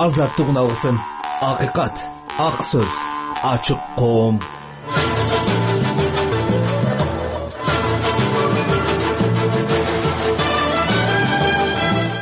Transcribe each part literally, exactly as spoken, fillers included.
азаттык уналсын. Акыйкат, ак сөз, ачык коом.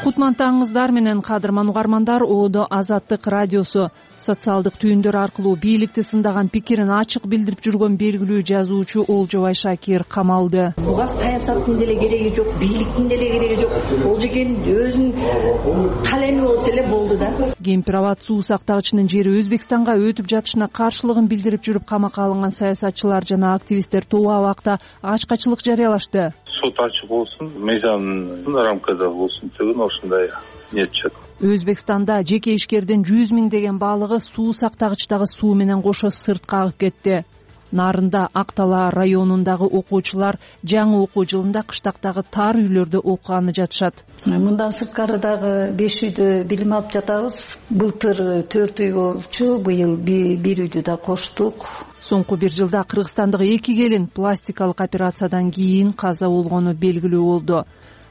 Кутмантаңыздар менен кадырман угармандар, Оодо Азаттык радиосу социалдык түйүндөр аркылуу бийликти сындаган пикирин ачык билдирип жүргөн белгилүү жазуучу Олжобай Шакир камалды. Буга саясаттын деле кереги жок, бийликтин деле кереги жок. Олжекен өзүнүн калеми болсо эле болду да. Кемпир-абад суу сактагычынын жери Өзбекстанга өтүп жатышына каршылыгын билдирип жүрүп камакка алынган саясатчылар жана активисттер тоо абакта ачкачылык жарыялашты. Сот ачык болсун, мыйзамдын рамкада болсун деген ушундай ниет чыгат. Өзбекстанда жеке ишкердин жүз миңдеген баалыгы суу сактагычтагы суу менен кошо сыртка агып кетти. Нарында Актала районундагы окуучулар жаңы окуу жылында кыштактагы тар үйлөрдө окуганы жатышат. Мындан сырткарыдагы беш үйдө билим алып жатабыз. Былтыр төрт үй болчу, быйыл бир үйдү да коштук. Соңку бир жылда Кыргызстандагы эки келин пластикалык операциядан кийин каза болгону белгилүү болду.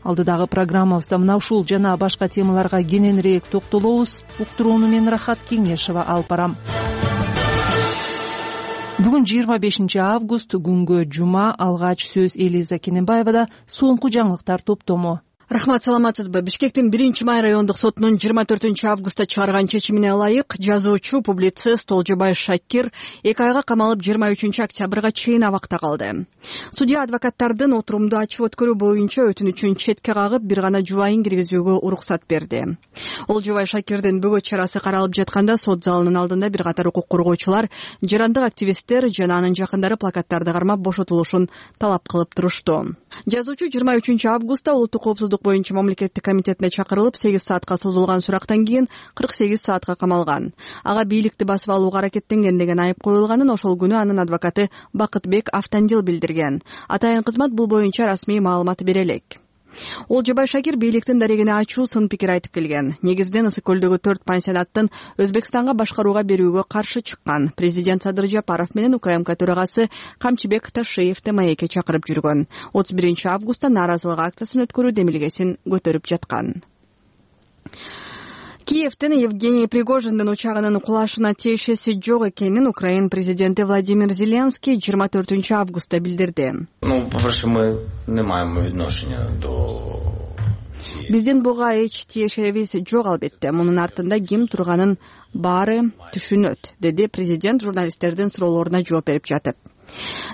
Алдыдагы программабызда мына ушул жана башка темаларга кененирээк токтолобуз. Уктурууну мен Рахат Кеңешева алып барам. Бүгүн жыйырма бешинчи август, күнгө жума. Алгач сөз Элиза Кененбаевада. Соңку жаңылыктар топтому. Рахмат, саламатсызбы? Бишкектин биринчи май райондук сотунун жыйырма төртүнчү августта чыгарган чечимине ылайык жазуучу, публицист Олжобай Шакир эки айга камалып жыйырма үчүнчү октябрга чейин абакта калды. Судья адвокаттардын отурумду ачып өткөрүү боюнча өтүнүчүн четке кагып, бир гана жубайын киргизүүгө уруксат берди. Олжобай Шакирдин бөгөт чарасы каралып жатканда сот залынын алдында бир катар укук коргоочулар, жарандык активисттер жана анын жакындары плакаттарды кармап бошотулушун талап кылып турушту. Жазуучу жыйырма үчүнчү августта улуттук коопсуздук боюнча мамлекеттик комитетине чакырылып, сегиз саатка созулган сурактан кийин кырк сегиз саатка камалган. Ага бийликти басып алууга аракеттенген деген айып коюлганын ошол күнү анын адвокаты Бакытбек Автандил билдирген. Атайын кызмат бул боюнча расмий маалымат бере элек. Олжобай Шакир бийликтин дарегине ачуу сын пикир айтып келген. Негизинен Ысык көлдөгү төрт пансионаттын Өзбекстанга башкарууга берүүгө каршы чыккан. Президент Садыр Жапаров менен УКМК төрагасы Камчыбек Ташиевди маекке чакырып жүргөн. отуз биринчи августта нааразылык акциясын өткөрүү демилгесин көтөрүп жаткан. Киевдин Евгений Пригожиндин учагынын кулашына тиешеси жок экенин Украин президенти Владимир Зеленский жыйырма төртүнчү августта билдирди. Ну, по-перше, мы не маємо відношення до Биздин буга эч тиешебиз жок албетте. Мунун артында ким турганын баары түшүнөт, деди президент журналисттердин суроолоруна жооп берип жатып.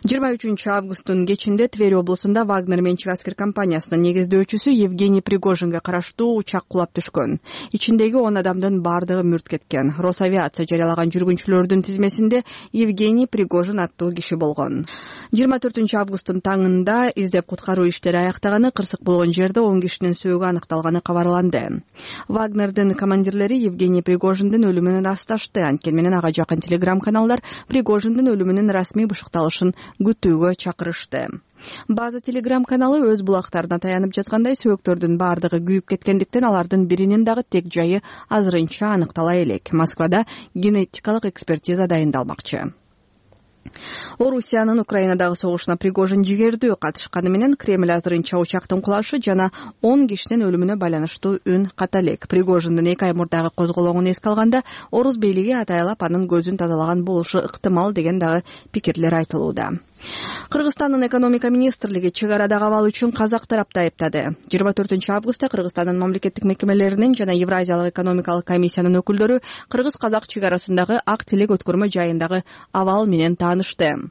жыйырма үчүнчү августтун кечинде Тверь облусунда Вагнер менчик аскер компаниясынын негиздөөчүсү Евгений Пригожинге караштуу учак кулап түшкөн. Ичиндеги он адамдын бардыгы мүрт кеткен. Росавиация жарыялаган жүргүнчүлөрдүн тизмесинде Евгений Пригожин аттуу киши болгон. жыйырма төртүнчү августтун таңында издеп куткаруу иштери аяктаганы, кырсык болгон жерде он кишинин сөөгү аныкталганы кабарланды. Вагнердин командирлери Евгений Пригожиндин өлүмүн ырасташты. Анткени менен ага жакын телеграм-каналдар Пригожиндин өлүмүнүн расмий бышыкталышын күтүүгө чакырышты. База телеграм-каналы өз булактарына таянып жазгандай, сөөктөрдүн бардыгы күйүп кеткендиктен алардын биринин дагы тек жайы азырынча аныктала элек. Москвада генетикалык экспертиза дайындалмакчы. Орусиянын Украинадагы согушуна Пригожин жигердүү катышканы менен Кремль азырынча учактын кулашы жана он кишинин өлүмүнө байланыштуу үн ката элек. Пригожиндин эки ай мурдагы козголоңун эске алганда, орус бийлиги атайлап анын көзүн тазалаган болушу ыктымал деген дагы пикирлер айтылууда. Кыргызстандын экономика министрлиги чек арадагы абал үчүн казак тарапты айыптады. жыйырма төртүнчү августта Кыргызстандын мамлекеттик мекемелеринин жана Евразиялык экономикалык комиссиянын өкүлдөрү кыргыз-казак чек арасындагы ак тилек өткөрмө жайындагы абал менен таанышты.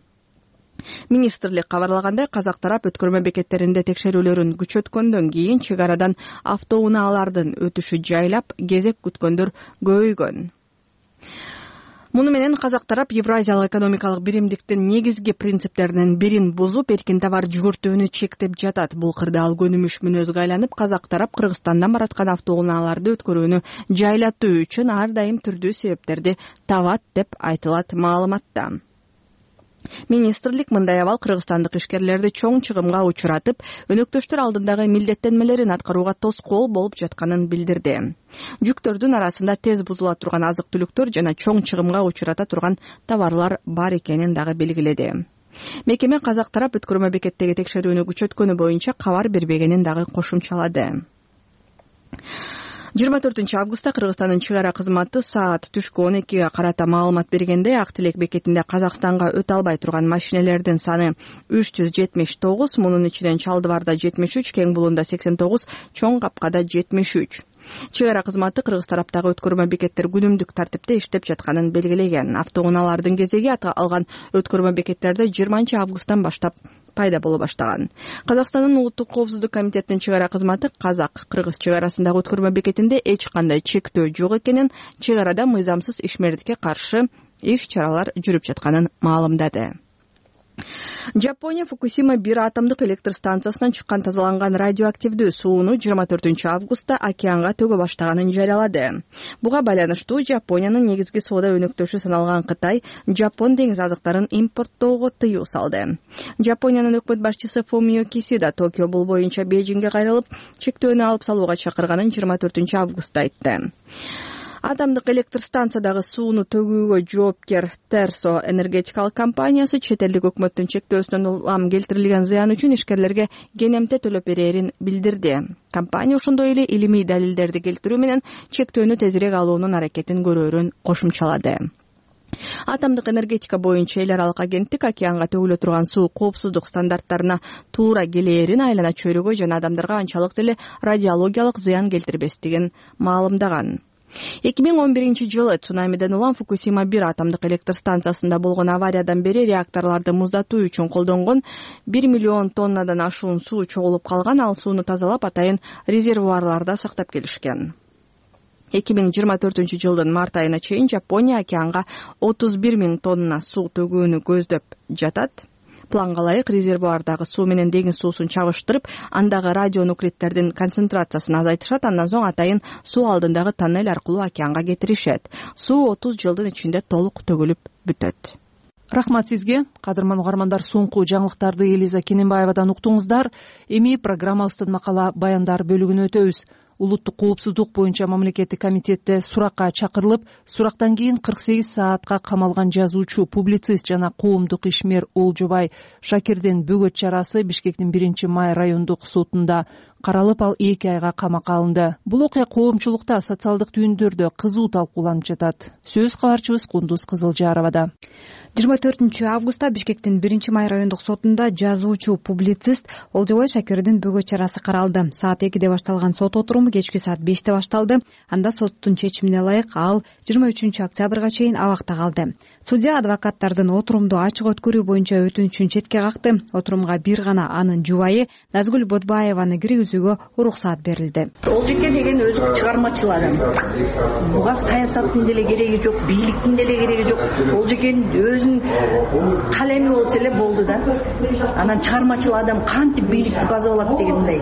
Министрлик кабарлагандай, казак тарап өткөрмө бекеттеринде текшерүүлөрүн күчөткөндөн кийин чек арадан автоунаалардын өтүшү жайлап, кезек күткөндөр көбөйгөн. Муну менен казак тарап Евразиялык экономикалык биримдиктин негизги принциптеринин бирин бузуп, эркин товар жүгүртүүнү чектеп жатат. Бул кырдаал көнүмүш мүнөзгө айланып, казак тарап Кыргызстандан бараткан автоунааларды өткөрүүнү жайлатуу үчүн ар дайым түрдүү себептерди табат деп айтылат маалыматта. Министрлик мындай абал кыргызстандык ишкерлерди чоң чыгымга учуратып, өнөктөштөр алдындагы милдеттенмелерин аткарууга тоскоол болуп жатканын билдирди. Жүктөрдүн арасында тез бузула турган азык-түлүктөр жана чоң чыгымга учурата турган товарлар бар экенин дагы белгиледи. Мекеме казак тарап өткөрмө бекеттеги текшерүүнү күчөткөнү боюнча кабар бербегенин дагы кошумчалады. жыйырма төртүнчү августта Кыргызстандын чек ара кызматы саат түшкү он экиге карата маалымат бергенде Ак Тилек бекетинде Казакстанга өтө албай турган машинелердин саны үч жүз жетимиш тогуз, мунун ичинен Чалдыбарда жетимиш үч, Кең Булунда сексен тогуз, Чоң Капкада жетимиш үч. Чек ара кызматы кыргыз тараптагы өткөрмө бекеттер күнүмдүк тартипте иштеп жатканын белгилеген. Автоунаалардын кезеги алган өткөрмө бекеттерде жыйырманчы августтан баштап пайда боло баштаган. Казакстандын улуттук коопсуздук комитетинин чек ара кызматы казак-кыргыз чек арасындагы өткөрмө бекетинде эч кандай чектөө жок экенин, чек арада мыйзамсыз ишмердикке каршы иш чаралар жүрүп жатканын маалымдады. Жапония Фукусима бир атомдук электр станциясынан чыккан тазаланган радиоактивдүү сууну жыйырма төртүнчү августта океанга төгө баштаганын жарыялады. Буга байланыштуу Жапониянын негизги соода өнөктөшү саналган Кытай Жапон деңиз азыктарын импорттоого тыюу салды. Жапониянын өкмөт башчысы Фумио Кисида Токио бул боюнча Бейжиңге кайрылып, чектөөнү алып салууга чакырганын жыйырма төртүнчү августта айтты. Атомдук электр станциядагы сууну төгүүгө жоопкер Терсо энергетикалык компаниясы чет элдик өкмөттүн чектөөсүнөн улам келтирилген зыян үчүн ишкерлерге кенемте төлөп берерин билдирди. Компания ошондой эле илимий далилдерди келтирүү менен чектөөнү тезирээк алуунун аракетин көрөөрүн кошумчалады. Атомдук энергетика боюнча эл аралык агенттик океанга төгүлө турган суу коопсуздук стандарттарына туура келээрин, айлана чөйрөгө жана адамдарга анчалык деле радиологиялык зыян келтирбестигин маалымдаган. эки миң он биринчи жылы цунамиден улам Фукусима бир атомдук электр станциясында болгон авариядан бери реакторлорду муздатуу үчүн колдонгон бир миллион тоннадан ашуун суу чогулуп калган. Ал сууну тазалап атайын резервуарларда сактап келишкен. эки миң жыйырма төртүнчү жылдын март айына чейин Жапония океанга отуз бир миң тонна суу төгүүнү көздөп жатат. Планга ылайык резервуардагы суу менен деңиз суусун чабыштырып, андагы радионуклидтердин концентрациясын азайтышат, андан соң атайын суу алдындагы тоннель аркылуу океанга кетиришет. Суу отуз жылдын ичинде толук төгүлүп бүтөт. Рахмат сизге, кадырман угармандар. Соңку жаңылыктарды Элиза Кененбаевадан уктуңуздар. Эми программабыздын макала баяндар бөлүгүнө өтөбүз. Улуттук коопсуздук боюнча мамлекеттик комитетте суракка чакырылып, сурактан кийин кырк сегиз саатка камалган жазуучу, публицист жана коомдук ишмер Олжобай Шакирдин бөгөт чарасы Бишкектин биринчи май райондук сотунда каралып, ал эки айга камакка алынды. Бул окуя коомчулукта, социалдык түйүндөрдө кызуу талкууланып жатат. Сөз кабарчыбыз Кундуз Кызылжаровада. жыйырма төртүнчү августта Бишкектин биринчи май райондук сотунда жазуучу, публицист Олжобай Шакирдин бөгөт чарасы каралды. Саат экиде башталган сот отуруму кечки саат беште башталды. Анда соттун чечимине ылайык ал жыйырма үчүнчү октябрга чейин абакта калды. Судья адвокаттардын отурумду ачык өткөрүү боюнча өтүнүчүн четке какты. Отурумга бир гана анын жубайы Назгүл Бодбаеваны киргизүүгө уруксаат берилди. Олжеке деген өзү чыгармачыл адам. Буга саясаттын деле кереги жок, бийликтин деле кереги жок. Олжекенин өзүнүн калеми болсо эле болду да. Анан чыгармачыл адам кантип бийликти база алат дегендей.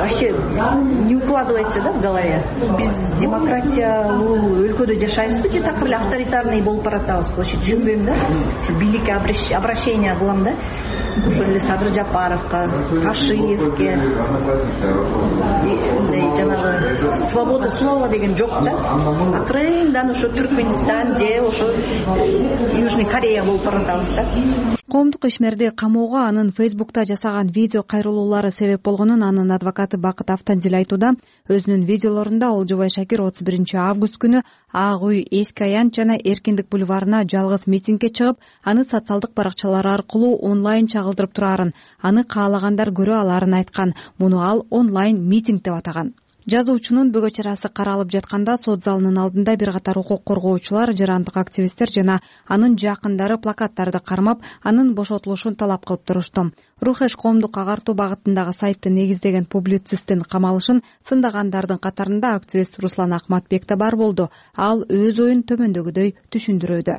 Вообще не укладывается, да, в голове. Биз демократиялуу өлкөдө жашайбызбы же такыр эле авторитарный болуп баратабызбы? Вообще түшүнбөйм да. Ушу бийликке обращение кылам да. Ошол эле Садыр Жапаровго, Кашиевке, жанагы свобода слова деген жок да. Акырындан ошо Түркмөнстан же ошо Южный Корея болуп баратабыз да. Коомдук ишмерди камоого анын Фейсбукта жасаган видео кайрылуулары себеп болгонун анын адвокаты Бакыт Автандил айтууда. Өзүнүн видеолорунда Олжобай Шакир отуз биринчи август күнү Ак үй, Эски Аянт жана Эркиндик бульварына жалгыз митингге чыгып, аны социалдык баракчалары аркылуу онлайн чагылдырып турарын, аны каалагандар көрө аларын айткан. Муну ал онлайн митинг деп атаган. Жазуучунун бөгөт чарасы каралып жатканда сот залынын алдында бир катар укук коргоочулар, жарандык активисттер жана анын жакындары плакаттарды кармап, анын бошотулушун талап кылып турушту. Рухеш коомдук агартуу багытындагы сайтты негиздеген публицисттин камалышын сындагандардын катарында активист Руслан Акматбек да бар болду. Ал өз оюн төмөндөгүдөй түшүндүрүүдө.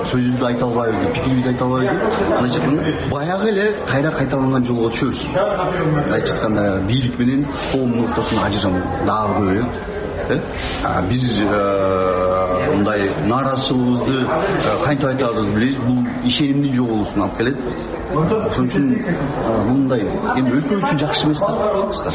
Сөзүбүздү айта албайбыз, пикирибизди айта албайбыз. Значит, баягы эле кайра кайталанган жолго түшөбүз. Айтып атканда бийлик менен коомдун ортосунда ажырам дагы көп. Э? Биз мындай нааразычылыгыбызды кантип айтабызды билебиз. Бул ишенимдин жоголуусуна алып келет. Ошон үчүн мындай эми өлкө үчүн жакшы эмес да.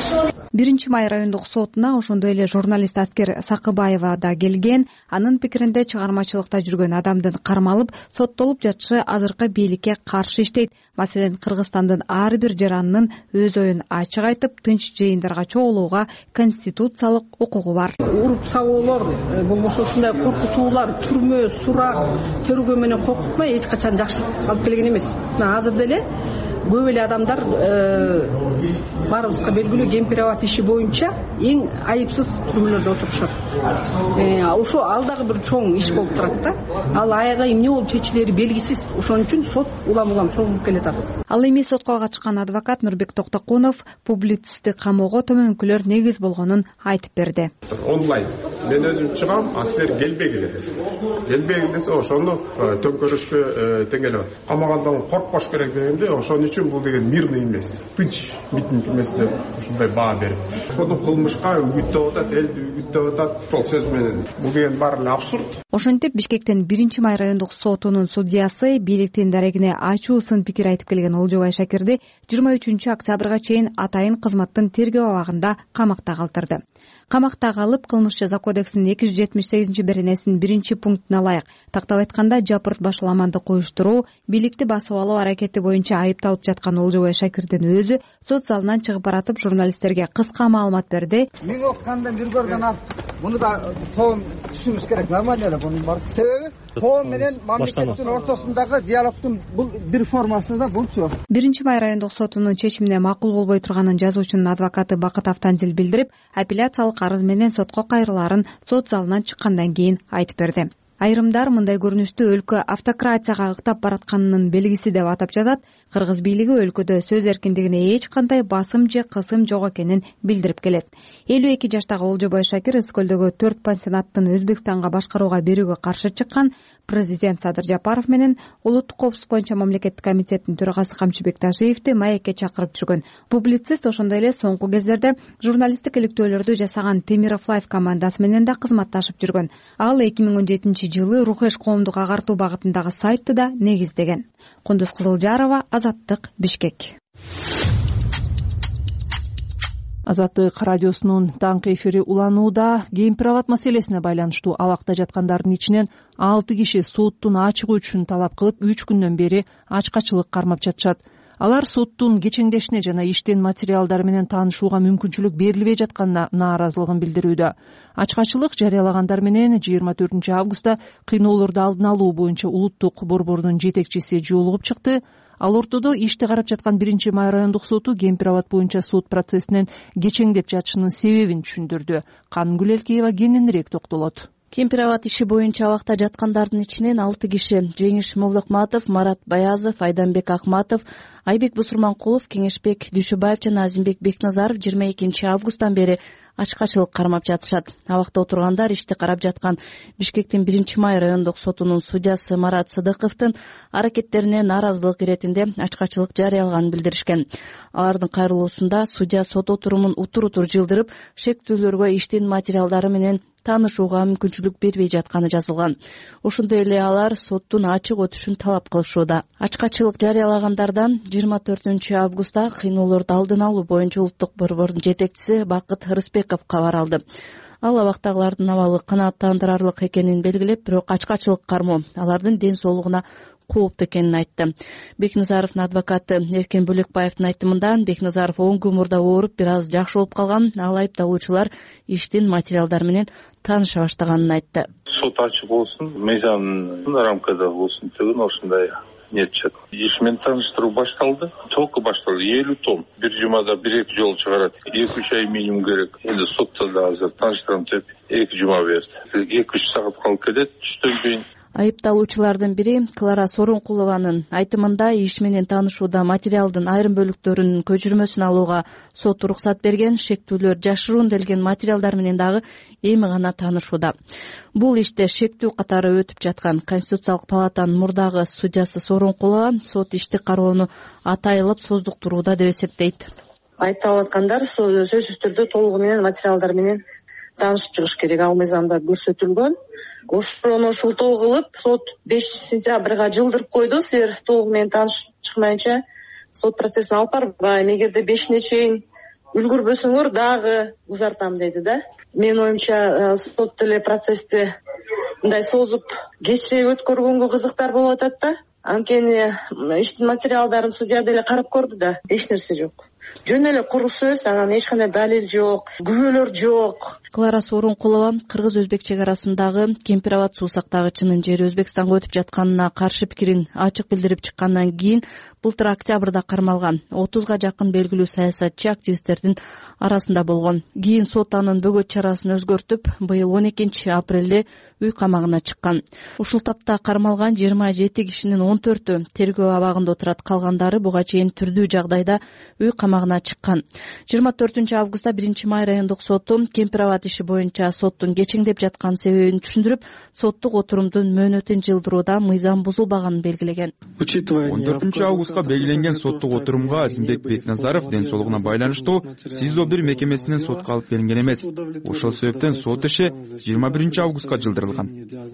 биринчи май райондук сотуна ошондой эле журналист Аскер Сакыбаева да келген. Анын пикиринде чыгармачылыкта жүргөн адамдын кармалып соттолуп жатышы азыркы бийликке каршы иштейт. Маселен, Кыргызстандын ар бир жаранынын өз оюн ачык айтып, тынч жыйындарга чогулууга конституциялык укугу бар. Уруп сабоолор болбосо ушундай коркутуулар, түрмө, сурак, төргөө менен коркутпай эч качан жакшылык алып келген эмес. Азыр деле көп эле адамдар баарыбызга белгилүү Кемпироват иши боюнча эң айыпсыз түрмөлөрдө отурушат. Ошо ал дагы бир чоң иш болуп турат да. Ал аягы эмне болуп чечилери белгисиз. Ошон үчүн сот улам-улам созулуп келатат. Ал эми сотко катышкан адвокат Нурбек Токтокунов публицистти камоого төмөнкүлөр негиз болгонун айтып берди. Онлайн мен өзүм чыгам, Аскер келбегиле деп. Келбегиле десе ошону төңкөрүшкө теңелип атат. Камагандан коркпош керек дегенде ошон үчүн бул деген мирный эмес, тынч митинг эмес деп ушундай баа берип. Ошону кылмышка үгүттөп атат, элди үгүттөп атат. Ошол сөз менен бул деген баары эле абсурд. Ошентип Бишкектин биринчи май райондук сотунун судьясы бийликтин дарегине ачуу сын пикир айтып келген Олжобай Шакирди жыйырма үчүнчү октябрга чейин атайын кызматтын тергөө абагында камакта калтырды. Камакта калып, кылмыш жаза кодексинин эки жүз жетимиш сегизинчи беренесинин биринчи пунктуна ылайык, тактап айтканда жапырт башаламандык уюштуруу, бийликти басып алуу аракети боюнча айыпталып жаткан Олжобай Шакирдин өзү сот залынан чыгып баратып журналисттерге кыска маалымат берди. Миң окугандан бир көргөн ал муну да тоом түшүнүш керек. Нормально эле бунун бар себеби тоом менен мамлекеттин ортосундагы диалогдун бул бир формасында булчу. биринчи май райондук сотунун чечимине макул болбой турганын жазуучунун адвокаты Бакыт Автандил билдирип, апелляциялык арыз менен сотко кайрылаарын сот залынан чыккандан кийин айтып берди. Айрымдар мындай көрүнүштү өлкө автократияга ыктап баратканынын белгиси деп атап жатат. Кыргыз бийлиги өлкөдө сөз эркиндигине эч кандай басым же кысым жок экенин билдирип келет. элүү эки жаштагы Олжобай Шакир Ысык көлдөгү төрт пансионаттын Өзбекстанга башкарууга берүүгө каршы чыккан. Президент Садыр Жапаров менен улуттук коопсуздук боюнча мамлекеттик комитеттин төрагасы Камчыбек Ташиевди маекке чакырып жүргөн. Публицист ошондой эле соңку кездерде журналисттик иликтөөлөрдү жасаган Темиров Лайф командасы менен да кызматташып жүргөн. Ал эки миң он жетинчи жылы Рухеш коомдук агартуу багытындагы сайтты да негиздеген. Кундуз Кызылжарова, Азаттык, Бишкек. Азаттык радиосунун таңкы эфири уланууда. Кемпироват маселесине байланыштуу абакта жаткандардын ичинен алты киши соттун ачыгы үчүн талап кылып, үч күндөн бери ачкачылык кармап жатышат. Алар соттун кечеңдешине жана иштин материалдары менен таанышууга мүмкүнчүлүк берилбей жатканына нааразылыгын билдирүүдө. Ачкачылык жарыялагандар менен жыйырма төртүнчү августта кыйноолорду алдын алуу боюнча улуттук борбордун жетекчиси жолугуп чыкты. Ал ортодо ишти карап жаткан биринчи май райондук соту Кемпироват боюнча сот процессинен кечеңдеп жатышынын себебин түшүндүрдү. Канымгүл Элкеева кененирээк токтолот. Кемпироват иши боюнча абакта жаткандардын ичинен алты киши — Жеңиш Молдокматов, Марат Баязов, Айданбек Акматов, Айбек Бусурманкулов, Кеңешбек Дүйшүбаев жана Азимбек Бекназаров жыйырма экинчи августтан бери ачкачылык кармап жатышат. Абакта отургандар ишти карап жаткан Бишкектин биринчи май райондук сотунун судьясы Марат Сыдыковдун аракеттерине нааразылык иретинде ачкачылык жарыялаганын билдиришкен. Алардын кайрылуусунда судья сот отурумун утур-утур жылдырып, шектүүлөргө иштин материалдары менен таанышууга мүмкүнчүлүк бербей жатканы жазылган. Ошондой эле алар соттун ачык өтүшүн талап кылышууда. Ачкачылык жарыялагандардан жыйырма төртүнчү августта кыйноолорду алдын алуу боюнча улуттук борбордун жетекчиси Бакыт Рыспеков кабар алды. Ал абактагылардын абалы канааттандырарлык экенин белгилеп, бирок ачкачылык кармоо алардын ден соолугуна кооптуу экенин айтты. Бекназаровдун адвокаты Эркен Бөлекбаевдин айтымында, Бекназаров он күн мурда ооруп, бир аз жакшы болуп калган. Ал айыпталуучулар иштин материалдары менен тааныша баштаганын айтты. Сот ачык болсун, мыйзамдын рамкада болсун деген ошондой нетчет. Иш менен тааныштыруу башталды. Только башталды. элүү том. Бир жумада бир эки жолу чыгарат. эки үч ай минимум керек. Эndi сотто да азыр тааныштырам деп эки жума берди. эки үч саат калып кетет түштөн кийин. Айыпталуучулардын бири Клара Сооронкулованын айтымында иш менен таанышууда материалдын айрым бөлүктөрүнүн көчүрмөсүн алууга сот уруксат берген, шектүүлөр жашыруун делген материалдар менен дагы эми гана таанышууда. Бул иште шектүү катары өтүп жаткан. Конституциялык палатанын мурдагы судьясы Сооронкулова сот ишти кароону атайылып создуктурууда деп эсептейт. Айыпталып аткандар сөзсүз түрдө толугу менен материалдар менен таанышып чыгыш керек. Ал мыйзамда көрсөтүлгөн. Ошону ушултоо кылып, сот бешинчи сентябрга жылдырып койду. Силер толугу менен таанышып чыкмайынча сот процессин алып барбайм. Эгерде бешине чейин үлгүрбөсөңөр дагы узартам деди да. Менин оюмча сот деле процессти мындай созуп кечирээк өткөргөнгө кызыктар болуп атат да. Анткени иштин материалдарын судья деле карап көрдү да, эч нерсе жок. Жөн эле куру сөз, анан эч кандай далил жок, күбөлөр жок. Клара Сооронкулова кыргыз-өзбек чек арасындагы Кемпир Абад суу сактагычынын жери Өзбекстанга өтүп жатканына каршы пикирин ачык билдирип чыккандан кийин былтыр октябрда кармалган. отузга жакын белгилүү саясатчы активисттердин арасында болгон. Кийин сот анын бөгөт чарасын өзгөртүп, быйыл он экинчи апрелде үй камагына чыккан. Ушул тапта кармалган жыйырма жети кишинин он төртү тергөө абагында отурат, калгандары буга чейин түрдүү жагдайда үй камагына чыккан. жыйырма төртүнчү августта биринчи май райондук соту Кемпир Абад иши боюнча соттун кечеңдеп жаткан себебин түшүндүрүп, соттук отурумдун мөөнөтүн жылдырууда мыйзам бузулбаганын белгилеген. он төртүнчү августка белгиленген соттук отурумга Азимбек Бекназаров ден соолугуна байланыштуу СИЗО бир мекемесинен сотко алып келинген эмес. Ошол себептен сот иши жыйырма биринчи августка жылдырылган.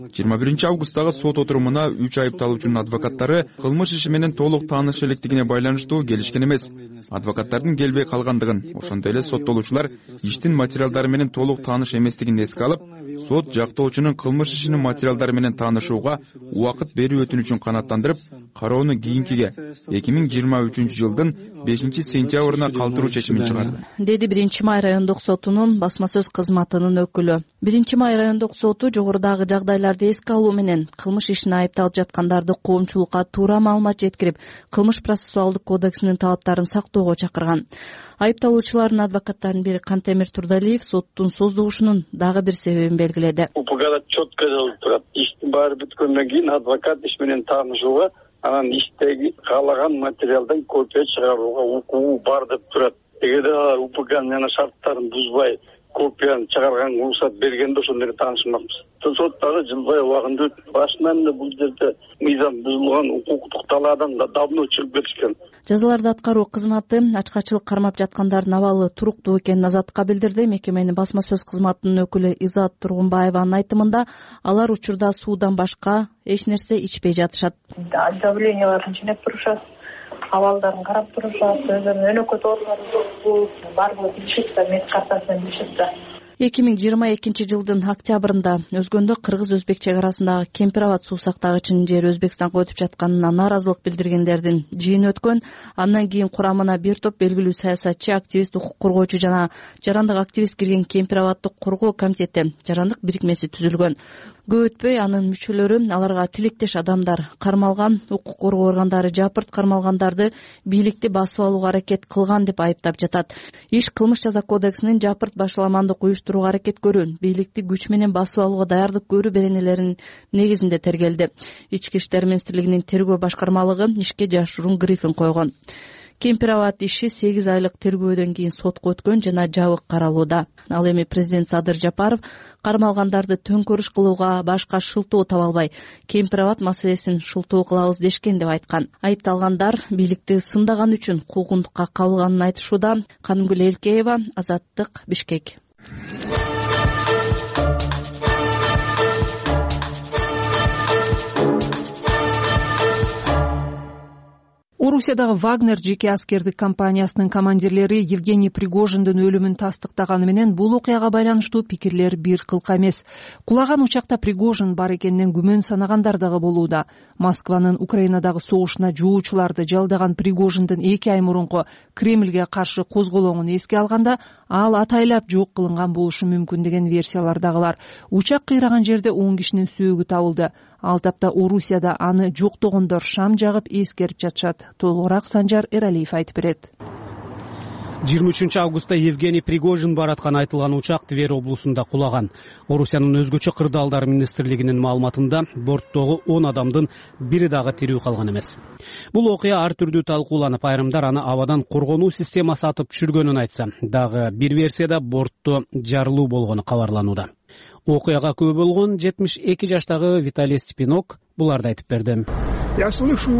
жыйырма биринчи августтагы сот отурумуна үч айыпталуучунун адвокаттары кылмыш иши менен толук тааныш электигине байланыштуу келишкен эмес. Адвокаттардын келбей калгандыгын, ошондой эле соттолуучулар иштин материалдары менен толук тааныш эместигин эске алып, сот жактоочунун кылмыш ишинин материалдары менен таанышууга убакыт берүү өтүнүчүн канааттандырып, кароону кийинкиге эки миң жыйырма үчүнчү жылдын бешинчи сентябрына калтыруу чечимин чыгарды, деди биринчи май райондук сотунун басма сөз кызматынын өкүлү. биринчи май райондук соту жогорудагы жагдайларды эске алуу менен кылмыш ишине айыпталып жаткандарды коомчулукка туура маалымат жеткирип, кылмыш процессуалдык кодексинин талаптарын сактоого чакырган. Айыпталуучулардын адвокаттарынын бири Кантемир Турдалиев соттун создугушунун дагы бир себебин белгиледи. УПКда четко жазылып турат. Иштин баары бүткөндөн кийин адвокат иш менен таанышууга, анан иштеги каалаган материалдан копия чыгарууга укугу бар деп турат. Эгерде алар УПКнын жана шарттарын бузбай копияны чыгарганга уруксат бергенде ошондо эле таанышмакпыз. Сот дагы жылбай убагында өтүп, башынан эле бул жерде мыйзам бузулган, укуктук талаадан да давно чыгып кетишкен. Жазаларды аткаруу кызматы ачкачылык кармап жаткандардын абалы туруктуу экенин Азаттыкка билдирди. Мекеменин басма сөз кызматынын өкүлү Изат Тургунбаеванын айтымында, алар учурда суудан башка эч нерсе ичпей жатышат. Давленияларын жинеп турушат, абалдарын карап турушат, өздөрүнүн өнөкөт оорулары жокпу, баардыгы билишет да, мед картасынан билишет да. эки миң жыйырма экинчи жылдын октябрында өзгөндө кыргыз-өзбек чек арасындагы Кемпир Абад суу сактагычынын жери Өзбекстанга өтүп жатканына нааразылык билдиргендердин жыйыны өткөн. Андан кийин курамына бир топ белгилүү саясатчы, активист, укук коргоочу жана жарандык активист кирген Кемпир Абадды коргоо комитети, жарандык бирикмеси түзүлгөн. Көп өтпөй анын мүчөлөрү, аларга тилектеш адамдар кармалган, укук коргоо органдары жапырт кармалгандарды бийликти басып алууга аракет кылган деп айыптап жатат. Иш кылмыш жаза кодексинин жапырт башаламандык уюштурууга аракет көрүү, бийликти күч менен басып алууга даярдык көрүү беренелеринин негизинде тергелди. Ички иштер министрлигинин тергөө башкармалыгы ишке жашыруун грифин койгон. Кемпир Абад иши сегиз айлык тергөөдөн кийин сотко өткөн жана жабык каралууда. Ал эми президент Садыр Жапаров кармалгандарды төңкөрүш кылууга башка шылтоо таба албай, Кемпир Абад маселесин шылтоо кылабыз дешкен деп айткан. Айыпталгандар бийликти сындаган үчүн куугунтукка кабылганын айтышууда. Канымгүл Элкеева, Азаттык, Бишкек. Орусиядагы Вагнер жеке аскердик компаниясынын командирлери Евгений Пригожиндин өлүмүн тастыктаганы менен бул окуяга байланыштуу пикирлер бир кылка эмес. Кулаган учакта Пригожин бар экенинен күмөн санагандар дагы болууда. Москванын Украинадагы согушуна жоочуларды жалдаган Пригожиндин эки ай мурунку Кремльге каршы козголоңун эске алганда, ал атайлап жок кылынган болушу мүмкүн деген версиялар дагы бар. Учак кыйраган жерде он кишинин сөөгү табылды. Ал тапта Орусияда аны жоктогондор шам жагып эскерип жатышат. Толугураак Санжар Эралиев айтып берет. жыйырма үчүнчү августта Евгений Пригожин бараткан айтылган учак Тверь облусунда кулаган. Орусиянын өзгөчө кырдаалдар министрлигинин маалыматында борттогу он адамдын бири дагы тирүү калган эмес. Бул окуя ар түрдүү талкууланып, айрымдар аны абадан коргонуу системасы атып түшүргөнүн айтса, дагы бир версияда бортто жарылуу болгону кабарланууда. Окуяга күбө болгон жетимиш эки жаштагы Виталий Степинок буларды айтып берди. Я слышу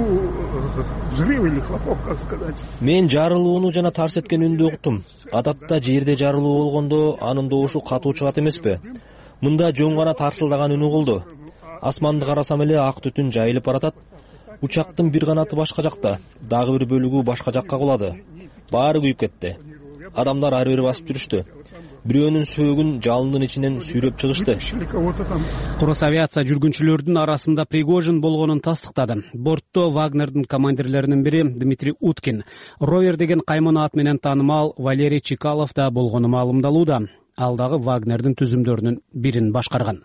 взрыв или хлопок, как сказать. Мен жарылууну жана тарс эткен үндү уктум. Адатта жерде жарылуу болгондо анын добушу катуу чыгат эмеспи? Мында жөн гана тарсылдаган үнү болду. Асманды карасам эле ак түтүн жайылып баратат. Учактын бир канаты башка жакта, дагы бир бөлүгү башка жакка кулады. Баары күйүп кетти. Адамдар ары бери басып жүрүштү. Бирөөнүн сөөгүн жалындын ичинен сүйрөп чыгышты. Курус авиация жүргүнчүлөрдүн арасында Пригожин болгонун тастыктады. Бортто Вагнердин командирлеринин бири Дмитрий Уткин, Ровер деген каймана ат менен таанымал Валерий Чекалов да болгону маалымдалууда. Ал дагы Вагнердин түзүмдөрүнүн бирин башкарган.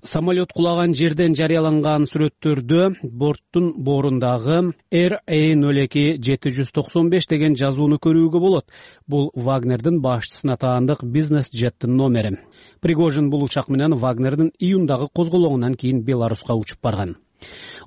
Самолет кулаган жерден жарыяланган сүрөттөрдө борттун боорундагы эр а ноль эки жети жүз токсон беш деген жазууну көрүүгө болот. Бул Вагнердин башчысына таандык бизнес жеттин номери. Пригожин бул учак менен Вагнердин июндагы козголоңунан кийин Беларуска учуп барган.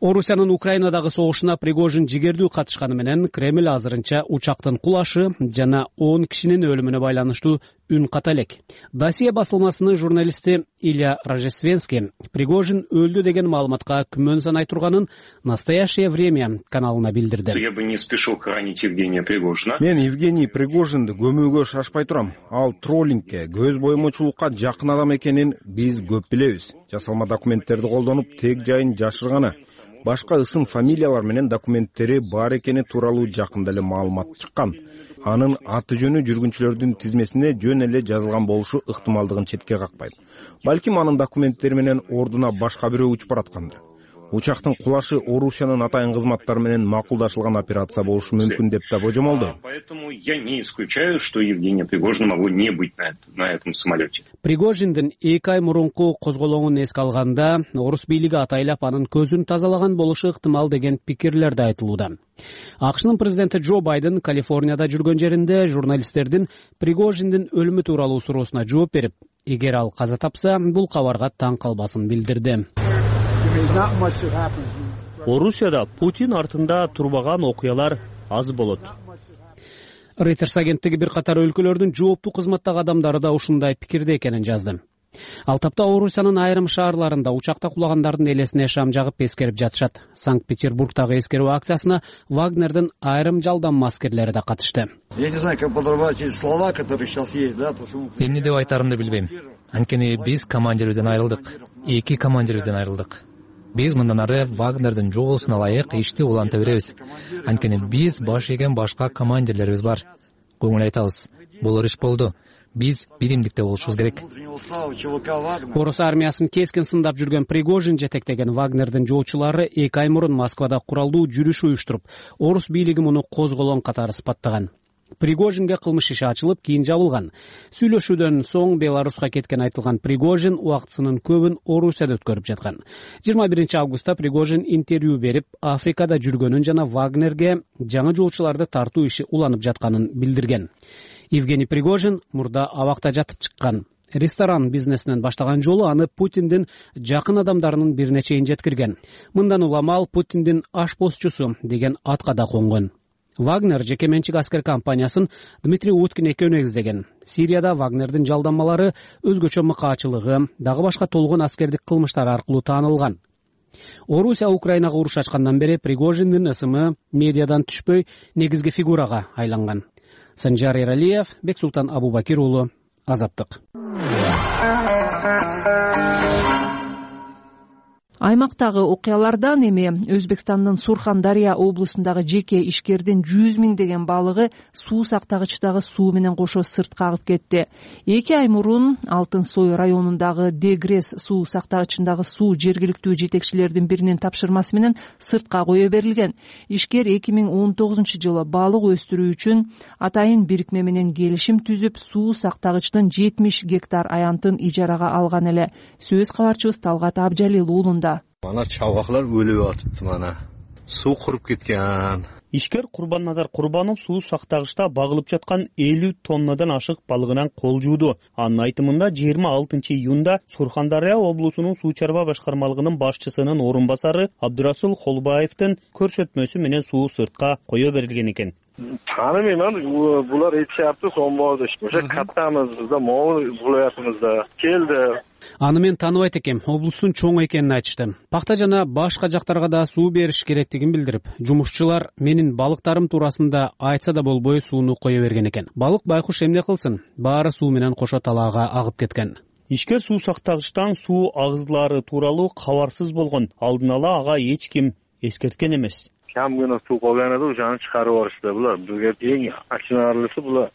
Орусиянын Украинадагы согушуна Пригожин жигердүү катышканы менен Кремль азырынча учактын кулашы жана он кишинин өлүмүнө байланыштуу үн ката элек. Досье басылмасынын журналисти Илья Рождественский Пригожин өлдү деген маалыматка күмөн санай турганын «Настоящее время» каналына билдирди. Я бы не спешил хоронить Евгения Пригожина. Мен Евгений Пригожинди көмүүгө шашпай турам. Ал троллингке, көз боемочулукка жакын адам экенин биз көп билебиз. Жасалма документтерди колдонуп, тег жайын жашырганы, башка ысым фамилиялар менен документтери бар экени тууралуу жакында эле маалымат чыккан. Анын аты жөнү жүргүнчүлөрдүн тизмесине жөн эле жазылган болушу ыктымалдыгын четке какпайт. Балким анын документтери менен ордуна башка бирөө учуп бараткандыр. Учактын кулашы Орусиянын атайын кызматтары менен макулдашылган операция болушу мүмкүн деп да божомолдойм. Поэтому я не исключаю, что Евгения Пригожина могло не быть на, на этом самолете. Пригожиндин эки ай мурунку козголоңун эске алганда, орус бийлиги атайлап анын көзүн тазалаган болушу ыктымал деген пикирлер да айтылууда. АКШнын президенти Джо Байден Калифорнияда жүргөн жеринде журналисттердин Пригожиндин өлүмү тууралуу суроосуна жооп берип, эгер ал каза тапса, бул кабарга таң калбасын билдирди. Орусияда Путин артында турбаган окуялар аз болот. Reuters агенттиги бир катар өлкөлөрдүн жооптуу кызматтагы адамдары да ушундай пикирде экенин жазды. Ал тапта Орусиянын айрым шаарларында учакта кулагандардын элесине шам жагып эскерип жатышат. Санкт-Петербургдагы эскерүү акциясына Вагнердин айрым жалданма аскерлери да катышты. Я не знаю, как подобрать эти слова, которые сейчас есть, да, то что эмне деп айтарымды билбейм. Анткени биз командирибизден айрылдык. Эки командирибизден айрылдык. Биз мындан ары Вагнердин жогоосуна ылайык ишти уланта беребиз. Анткени биз баш ийген башка командирлерибиз бар. Көңүл айтабыз. Бул иш болду. Биз биримдикте болушубуз керек. Орус армиясын кескин сындап жүргөн Пригожин жетектеген Вагнердин жоочулары эки ай мурун Москвада куралдуу жүрүш уюштуруп, орус бийлиги муну козголоң катары сыпаттаган. Пригожинге кылмыш иши ачылып, кийин жабылган. Сүйлөшүүдөн соң Беларуска кеткен айтылган Пригожин убактысынын көбүн Орусияда өткөрүп жаткан. жыйырма биринчи августта Пригожин интервью берип, Африкада жүргөнүн жана Вагнерге жаңы жоочуларды тартуу иши уланып жатканын билдирген. Евгений Пригожин мурда абакта жатып чыккан. Ресторан бизнесинен баштаган жолу аны Путиндин жакын адамдарынын бирине чейин жеткирген. Мындан улам ал Путиндин ашпозчусу деген атка да конгон. Вагнер жеке менчик аскер компаниясын Дмитрий Уткин экөө негиздеген. Сирияда Вагнердин жалданмалары өзгөчө мыкаачылыгы, дагы башка толгон аскердик кылмыштары аркылуу таанылган. Орусия Украинага уруш ачкандан бери Пригожиндин ысымы медиадан түшпөй негизги фигурага айланган. Санжар Эралиев, Бексултан Абубакир уулу, Азаттык. Аймактагы окуялардан эми Өзбекстандын Сурхандария облусундагы жеке ишкердин жүз миң деген балыгы суу сактагычтагы суу менен кошо сыртка агып кетти. Эки ай мурун Алтын Сой районундагы Дегрес суу сактагычындагы суу жергиликтүү жетекчилердин биринин тапшырмасы менен сыртка кое берилген. Ишкер эки миң он тогузунчу жылы балык өстүрүү үчүн атайын бирикме менен келишим түзүп, суу сактагычтын жетимиш гектар аянтын ижарага алган эле. Сөз кабарчыбыз Талгат Абжалил уулунда. Mana çalgaklar ölüp atıptı mana. Su kurup ketken. Ишкер Курбанназар Курбанов суу сактагычта багылып жаткан элүү тоннадан ашык балыгынан кол жууду. Анын айтымында жыйырма алтынчы июнда Сурхандария облусунун суу чарба башкармалыгынын башчысынын орун басары Абдурасул Холбаевдин көрсөтмөсү менен суу сыртка кое берилген экен. Tanımayman, bular aytishyapti, so'nbodi. O'sha kattamizda, mo'l viloyatimizda keldi. Аны мен тааныбайт экем, облустун чоң экенин айтышты. Пакта жана башка жактарга да суу бериш керектигин билдирип, жумушчулар менин балыктарым туурасында айтса да болбой сууну кое берген экен. Балык байкуш эмне кылсын? Баары суу менен кошо талаага агып кеткен. Ишкер суу сактагычтан суу агызлары тууралуу кабарсыз болгон. Алдын ала ага эч ким эскерткен эмес. Kam gina suv qolgan edi, o'shani chiqarib yuborishdi bular. Bizga eng achinarlisi bular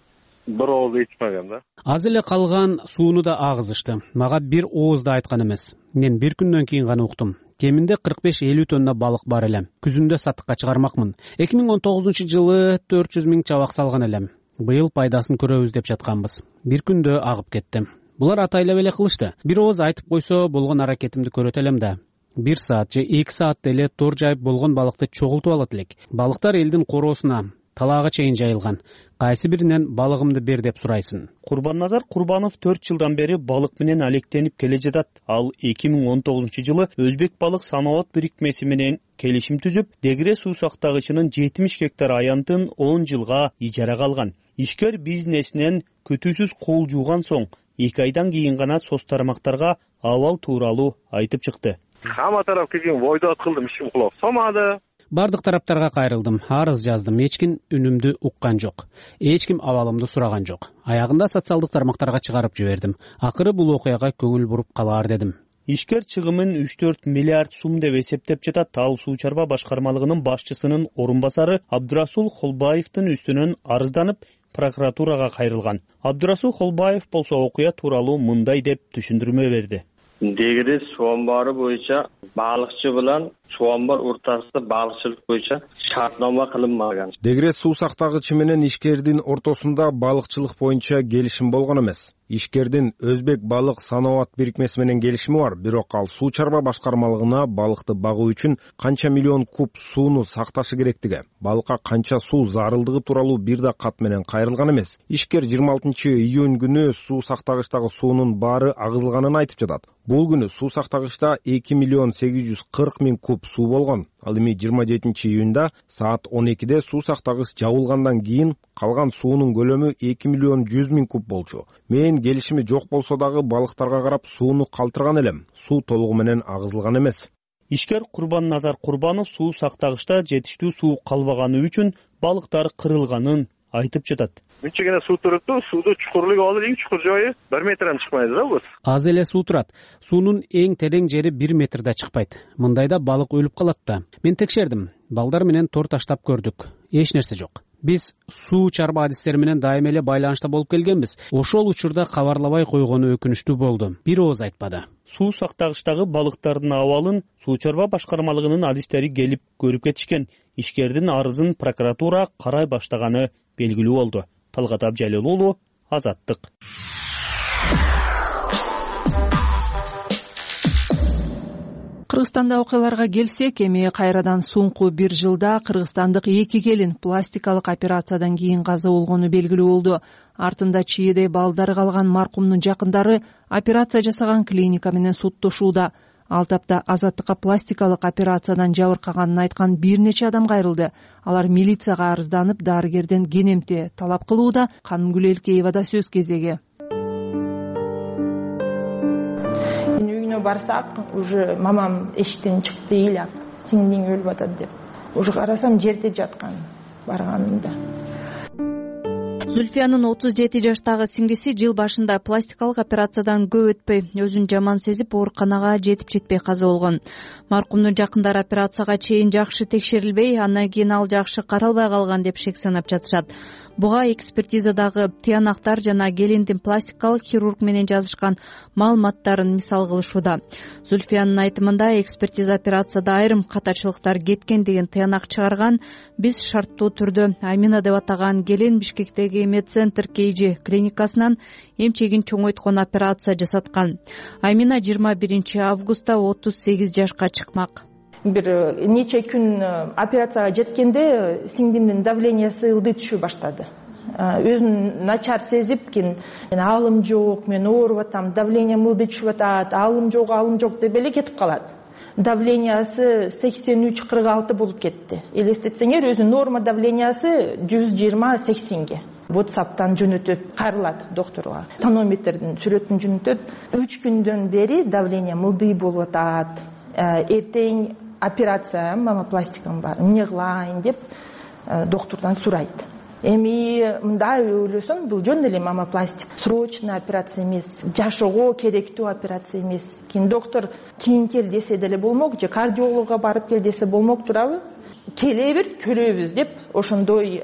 бир ооз ичмеген да. Аз эле калган сууну да агызышты. Мага бир ооз да айткан эмес. Мен бир күндөн кийин гана уктум. Кеминде кырк беш элүү тонна балык бар эле. Күзүндө сатыкка чыгармакмын. эки миң он тогузунчу жылы төрт жүз миң чабак салган элем. Быйыл пайдасын көрөбүз деп жатканбыз. Бир күндө агып кетти. Булар атайлап эле кылышты. Бир ооз айтып койсо болгон аракетимди көрөт элем да. Бир саат же эки саатта эле тор жайып болгон балыкты чогултуп алат элек. Балыктар элдин короосуна, талаага чейин жайылган. Кайсы биринен балыгымды бер деп сурайсың. Курбанназар Курбанов төрт жылдан бери балык менен алектенип келе жатат. Ал эки миң он тогузунчу жылы Өзбек балык санаат бирикмеси менен келишим түзүп, Дегре суу сактагычынын жетимиш гектар аянтын он жылга ижарага алган. Ишкер бизнесинен күтүүсүз кол жууган соң эки айдан кийин гана соц тармактарга абал тууралуу айтып чыкты. Хамма тарап келген бойдот кылдым, ишим кулак салмады. Бардык тараптарга кайрылдым, арыз жаздым, эч ким үнүмдү уккан жок. Эч ким абалымды сураган жок. Аягында социалдык тармактарга чыгарып жибердим. Акыры бул окуяга көңүл буруп калаар дедим. Ишкер чыгымын үч төрт миллиард сум деп эсептеп жатат. Ал суу чарба башкармалыгынын башчысынын орун басары Абдурасул Холбаевдин үстүнөн арызданып, прокуратурага кайрылган. Абдурасул Холбаев болсо окуя тууралуу мындай деп түшүндүрмө берди. Дегре суу амбары боюнча балыкчы менен суу амбар ортосунда балыкчылык боюнча шартнома кылынбаган. Дегре суу сактагычы менен ишкердин ортосунда балыкчылык боюнча келишим болгон эмес. Ишкердин Өзбек балык санаат бирикмеси менен келишими бар, бирок ал суу чарба башкармалыгына балыкты багуу үчүн канча миллион куб сууну сакташы керектиги, балыкка канча суу зарылдыгы тууралуу бир да кат менен кайрылган эмес. Ишкер жыйырма алтынчы июнь күнү суу сактагычтагы суунун баары агызылганын айтып жатат. Бул күнү суу сактагычта эки миллион сегиз жүз кырк миң куб суу болгон. Ал эми жыйырма жетинчи июнда саат он экиде суу сактагыч жабылгандан кийин калган суунун көлөмү эки миллион жүз миң куб болчу. Мен келишими жок болсо дагы балыктарга карап сууну калтырган элем. Суу толугу менен агызылган эмес. Ишкер Курбанназар Курбанов суу сактагычта жетиштүү суу калбаганы үчүн балыктар кырылганын айтып жатат. Мынча суу турупту, сууду чукурлугу ал эң чукур жайы бир метрден чыкпайт да бул. Аз эле суу турат. Суунун эң терең жери бир метрде чыкпайт. Мындайда балык өлүп калат да. Мен текшердим. Балдар менен тор таштап көрдүк. Эч нерсе жок. Биз суу чарба адистери менен дайыма эле байланышта болуп келгенбиз. Ошол учурда кабарлабай койгону өкүнүчтүү болду. Бир ооз айтпады. Суу сактагычтагы балыктардын абалын суу чарба башкармалыгынын адистери келип көрүп кетишкен. Ишкердин арызын прокуратура карай баштаганы белгилүү болду. Талгат Абжалил уулу, Азаттык. Кыргызстанда окуяларга келсек, эми кайрадан соңку бир жылда кыргызстандык эки келин пластикалык операциядан кийин каза болгону белгилүү болду. Артында чийидей балдары калган маркумдун жакындары операция жасаган клиника менен соттошууда. Ал тапта Азаттыкка пластикалык операциядан жабыркаганын айткан бир нече адам кайрылды. Алар милицияга арызданып, дарыгерден кенемти талап кылууда. Канымгүл Элкеевада сөз кезеги. Үйүнө барсак, уже мамам эшиктен чыкты ыйлап, сиңдиң өлүп атат деп. Уже карасам жерде жаткан барганымда. Зүлфиянын отуз жети жаштагы сиңдиси жыл башында пластикалык операциядан көп өтпөй өзүн жаман сезип ооруканага жетип жетпей каза болгон. Маркумдун жакындары операцияга чейин жакшы текшерилбей, андан кийин ал жакшы каралбай калган деп шек санап жатышат. Буга экспертизадагы тыянактар жана келиндин пластикалык хирург менен жазышкан маалыматтарын мисал кылышууда. Зүлфиянын айтымында экспертиза операцияда айрым катачылыктар кеткен деген тыянак чыгарган. Биз шарттуу түрдө Амина деп атаган келин Бишкектеги Медцентр Кейжи клиникасынан эмчегин чоңойткон операция жасаткан. Амина жыйырма биринчи августта отуз сегиз жашка чыкмак. Бир нече күн операцияга жеткенде сиңдимдин давлениясы ылдый түшө баштады. Өзүн начар сезип, кийин алым жок, мен ооруп атам, давлениям ылдый түшүп атат, алым жок, алым жок деп эле кетип калат. Давлениясы сексен үч кырк алты болуп кетти. Элестетсеңер, өзүнүн норма давлениясы жүз жыйырма сексенге. WhatsApp'тан жөнөтөт, кайрылат докторго. Тонометрдин сүрөтүн жөнөтөт. үч күндөн бери давлениям ылдый болуп атат. Эртең операция, мамопластикам бар, эмне кылайын деп доктордон сурайт. Эми мындай ойлосоң, бул жөн эле мамопластик, срочный операция эмес, жашоого керектүү операция эмес. Кийин доктор кийин кел десе деле болмок, же кардиологко барып кел десе болмок турабы? Келе бер, көрөбүз деп ошондой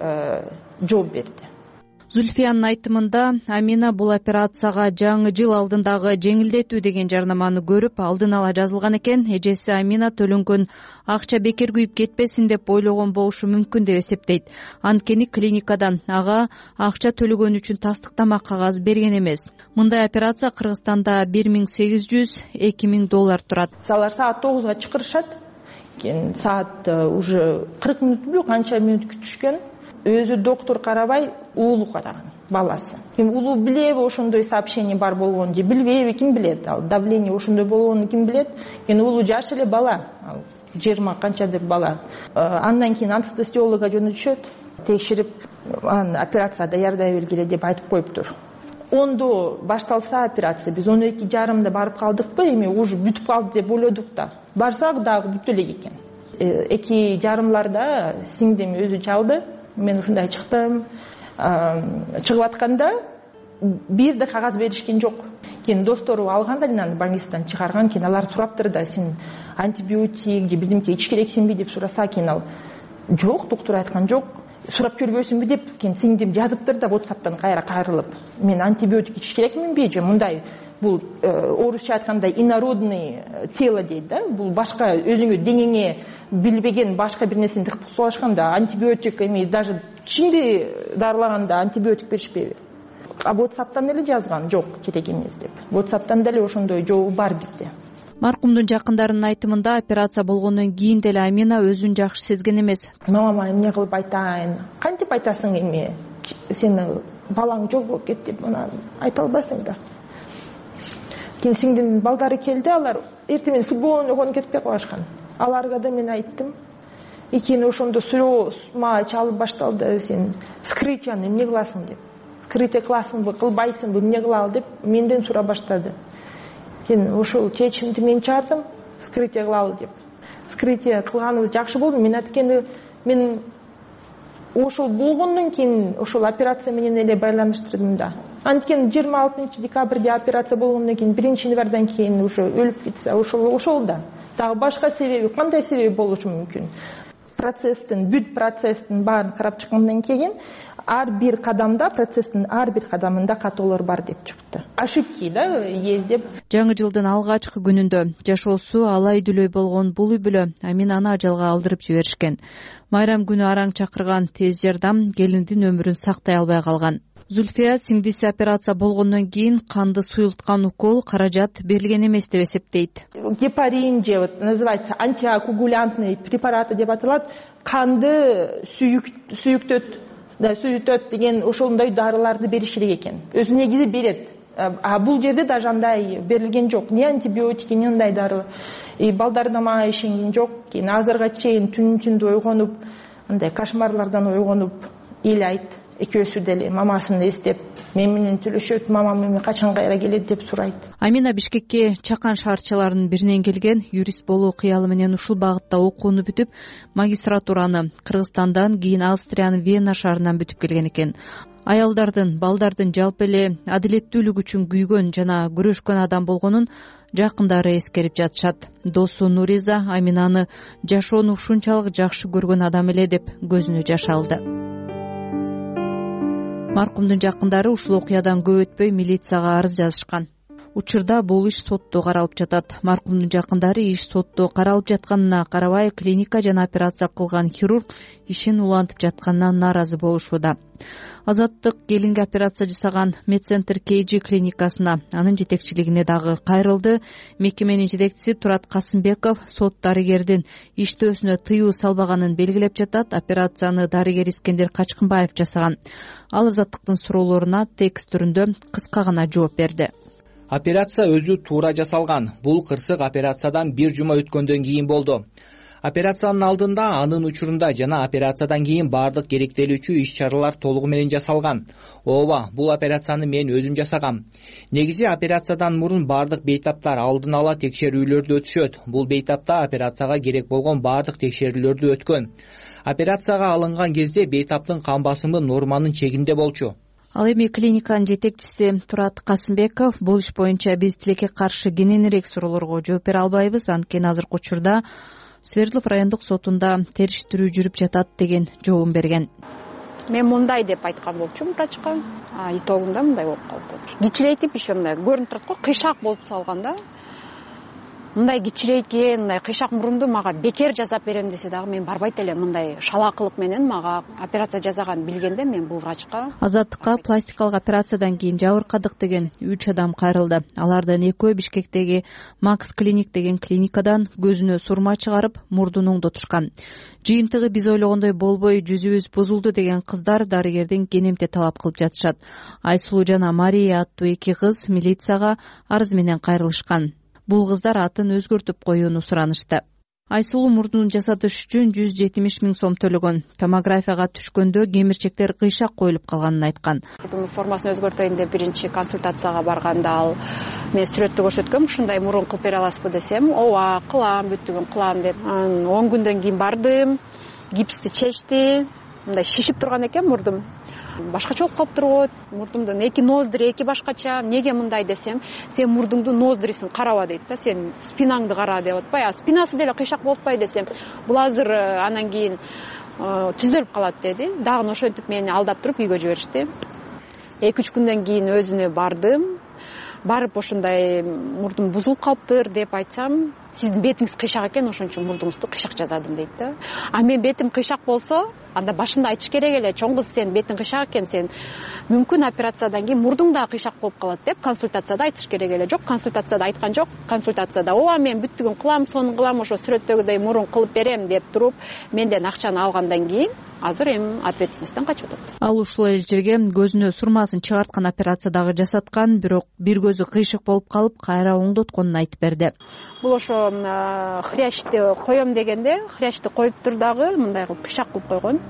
жооп берди. Зульфиянын айтымында Амина бул операцияга жаңы жыл алдындагы жеңилдетүү деген жарнаманы көрүп алдын ала жазылган экен. Эжеси Амина төлөнгөн акча бекер күйүп кетпесин деп ойлогон болушу мүмкүн деп эсептейт. Анткени клиникадан ага акча төлөгөн үчүн тастыктама кагаз берген эмес. Мындай операция Кыргызстанда бир миң сегиз жүз эки миң доллар турат. Алар саат тогузга чакырышат. Кийин саат уже кырк мүнөт канча мүнөт күтүшкөн. Өзү доктор карабай, уулу караган, баласы. Ким уулу билеби ошондой сообщение бар болгонун же билбейби, ким билет? Ал давление ошондой болгонун ким билет? Кийин уулу жаш эле бала, жыйырма канчадыр бала. Андан кийин анестезиолога жөнөтүшөт, текшерип, операция даярдай бергиле деп айтып коюптур. Ондо башталса операция, биз он эки жарымда барып калдыкпы, эми уже бүтүп калды деп ойлодук да. Барсак дагы бүтө элек экен. эки жарымларда сиңдим өзү чалды. Мен ушундай чыктым. Чыгып атканда бир да кагаз беришкен жок. Кийин достору алганда аны больницадан чыгарган, кийин алар сураптыр да, сен антибиотик же бирдемке ич керексиңби деп сураса, кийин ал жок, доктор айткан жок. Сурап көрбөйсүңбү деп, кийин сиңдим жазыптыр да WhatsApp'тан кайра кайрылып. Мен антибиотик ич керекминби же мындай бул орусча айтканда инородный тело дейт да, бул башка өзүңө деңеңе билбеген башка бир нерсени тыкпалашканда антибиотик эми даже тишиңди дарылаганда антибиотик беришпейби. А WhatsApp'тан эле жазган, жок, керек эмес деп. WhatsApp'тан деле ошондой жообу бар бизде. Маркумдун жакындарынын айтымында операция болгондон кийин деле Амина өзүн жакшы сезген эмес. Мамама эмне кылып айтайын? Кантип айтасың эми? Сени балаң жок болуп кетти деп мына айта албайсың да. Кийин сиңдимдин балдары келди, алар эртең менен футбол ойногонуп кетпей калышкан. Аларга да мен айттым. Кийин ошондо сүрөө мага чалып башталды, сен вскрытияны эмне кыласың деп. Вскрытие кыласыңбы, кылбайсыңбы, эмне кылалы деп менден сурап баштады. Кийин ошол чечимди мен чыгардым, вскрытие кылалы деп. Вскрытие кылганыбыз жакшы болду. Мен айткенде мен ошол болгондон кийин ошол операция менен эле байланыштырдым да. Анткени жыйырма алтынчы декабрда операция болгондон кийин биринчи январдан кийин уже өлүп кетсе, ошол ошол да. Дагы башка себеби, кандай себеби болушу мүмкүн? Процесстин, бүт процесстин баарын карап чыккандан кийин ар бир кадамда, процесстин ар бир кадамында катоолор бар деп чыкты. Ошибки да есть деп. Жаңы жылдын алгачкы күнүндө жашоосу алай дүлөй болгон бул үй бүлө Аминаны ажалга алдырып жиберишкен. Майрам күнү араң чакырган тез жардам келиндин өмүрүн сактай албай калган. Зульфия сиңдиси операция болгондон кийин канды суюлткан укол каражат берилген эмес деп эсептейт. Гепарин же вот называется антикоагулянтный препараты деп аталат. Канды сүйүктөт, да сүйүтөт деген ошондой дарыларды бериш керек экен. Өзү негизи берет. А бул жерде даже андай берилген жок. Не антибиотики, не андай дары. И балдар да мага ишенген жок. Кийин азырга чейин түнүн ичинде ойгонуп, андай кошмарлардан ойгонуп ыйлайт. Экөөсү деле мамасын эстеп, мен менен сүйлөшөт, мамам эми качан кайра келет деп сурайт. Амина Бишкекке чакан шаарчаларынын биринен келген, юрист болуу кыялы менен ушул багытта окууну бүтүп, магистратураны Кыргызстандан, кийин Австриянын Вена шаарынан бүтүп келген экен. Аялдардын, балдардын жалпы эле адилеттүүлүк үчүн күйгөн жана күрөшкөн адам болгонун жакындары эскерип жатышат. Досу Нуриза Аминаны жашоону ушунчалык жакшы көргөн адам эле деп көзүнө жаш алды. Маркумдун жакындары ушул окуядан көп өтпөй милицияга арыз жазышкан. Учурда бул иш сотто каралып жатат. Маркумдун жакындары иш сотто каралып жатканына карабай, клиника жана операция кылган хирург ишин улантып жатканына нааразы болушууда. Азаттык келинге операция жасаган Медцентр Кейджи клиникасына, анын жетекчилигине дагы кайрылды. Мекеменин жетекчиси Турат Касымбеков сот дарыгердин иштөөсүнө тыюу салбаганын белгилеп жатат. Операцияны дарыгер Искендер Качкынбаев жасаган. Ал Азаттыктын суроолоруна текст түрүндө кыска гана жооп берди. Операция өзү туура жасалган. Бул кырсык операциядан бир жума өткөндөн кийин болду. Операциянын алдында, анын учурунда жана операциядан кийин баардык керектелүүчү иш-чаралар толугу менен жасалган. Ооба, бул операцияны мен өзүм жасагам. Негизи операциядан мурун баардык бейтаптар алдын ала текшерүүлөрдү өтүшөт. Бул бейтапта операцияга керек болгон баардык текшерүүлөрдү өткөн. Операцияга алынган кезде бейтаптын кан басымы норманын чегинде болчу. Ал эми клиниканын жетекчиси Турат Касымбеков бул иш боюнча биз тилекке каршы кененирээк суроолорго жооп бере албайбыз, анткени азыркы учурда Свердлов райондук сотунда териштирүү жүрүп жатат деген жообун берген. мен мындай деп айткан болчумун врачка, а итогунда мындай болуп калды. Кичирейтип еще мындай көрүнүп турат го, кыйшак болуп салган да. Мындай кичирейген, мындай кыйшак мурунду мага бекер жасап берем десе дагы мен барбайт элем. Мындай шалаакылык менен мага операция жасаганын билгенде мен бул врачка. Азаттыкка пластикалык операциядан кийин жабыркадык деген үч адам кайрылды. Алардын экөө Бишкектеги Макс Клиник деген клиникадан көзүнө сурма чыгарып, мурдун оңдотушкан. Жыйынтыгы биз ойлогондой болбой, жүзүбүз бузулду деген кыздар дарыгерден кенемте талап кылып жатышат. Айсулуу жана Мария аттуу эки кыз милицияга арыз менен кайрылышкан. Бул кыздар атын өзгөртүп коюуну суранышты. Айсулуу мурдун жасатыш үчүн жүз жетимиш миң сом төлөгөн. Томографияга түшкөндө кемирчектер кыйшак коюлуп калганын айткан. Мурдун формасын өзгөртөйүн деп биринчи консультацияга барганда ал мен сүрөттү көрсөткөм, ушундай мурун кылып бере аласызбы десем, ооба кылам, бүттүгүн кылам деп. он күндөн кийин бардым, гипсти чечти, мындай шишип турган экен мурдум. Башкача болуп калыптыр го, мурдумдун эки ноздри эки башкача. Эмнеге мындай десем, сен мурдуңдун ноздрисин караба дейт да, сен спинаңды кара деп атпайбы, а спинасы деле кыйшак болуп атпайбы десем, бул азыр анан кийин түзөлүп калат деди. Дагы ошентип мени алдап туруп үйгө жиберишти. эки үч күндөн кийин өзүнө бардым. Барып ошондой мурдум бузулуп калыптыр деп айтсам, сиздин бетиңиз кыйшак экен, ошон үчүн мурдуңузду кыйшак жасадым дейт да. А мен бетим кыйшак болсо, анда башында айтыш керек эле, чоң кыз сен бетиң кыйшак экен, сен мүмкүн операциядан кийин мурдуң да кыйшак болуп калат деп консультацияда айтыш керек эле. Жок, консультацияда айткан жок. Консультацияда ооба мен бүттүгүн кылам, сонун кылам, ошо сүрөттөгүдөй мурун кылып берем деп туруп, менден акчаны алгандан кийин азыр эми ответственностьтен качып атат. Ал ушул эле жерге көзүнө сурмасын чыгарткан операция дагы жасаткан, бирок бир көзү кыйшык болуп калып, кайра оңдотконун айтып берди. Бул ошо хрящти коем дегенде, хрящти коюптур дагы мындай кылып кыйшак кылып койгон.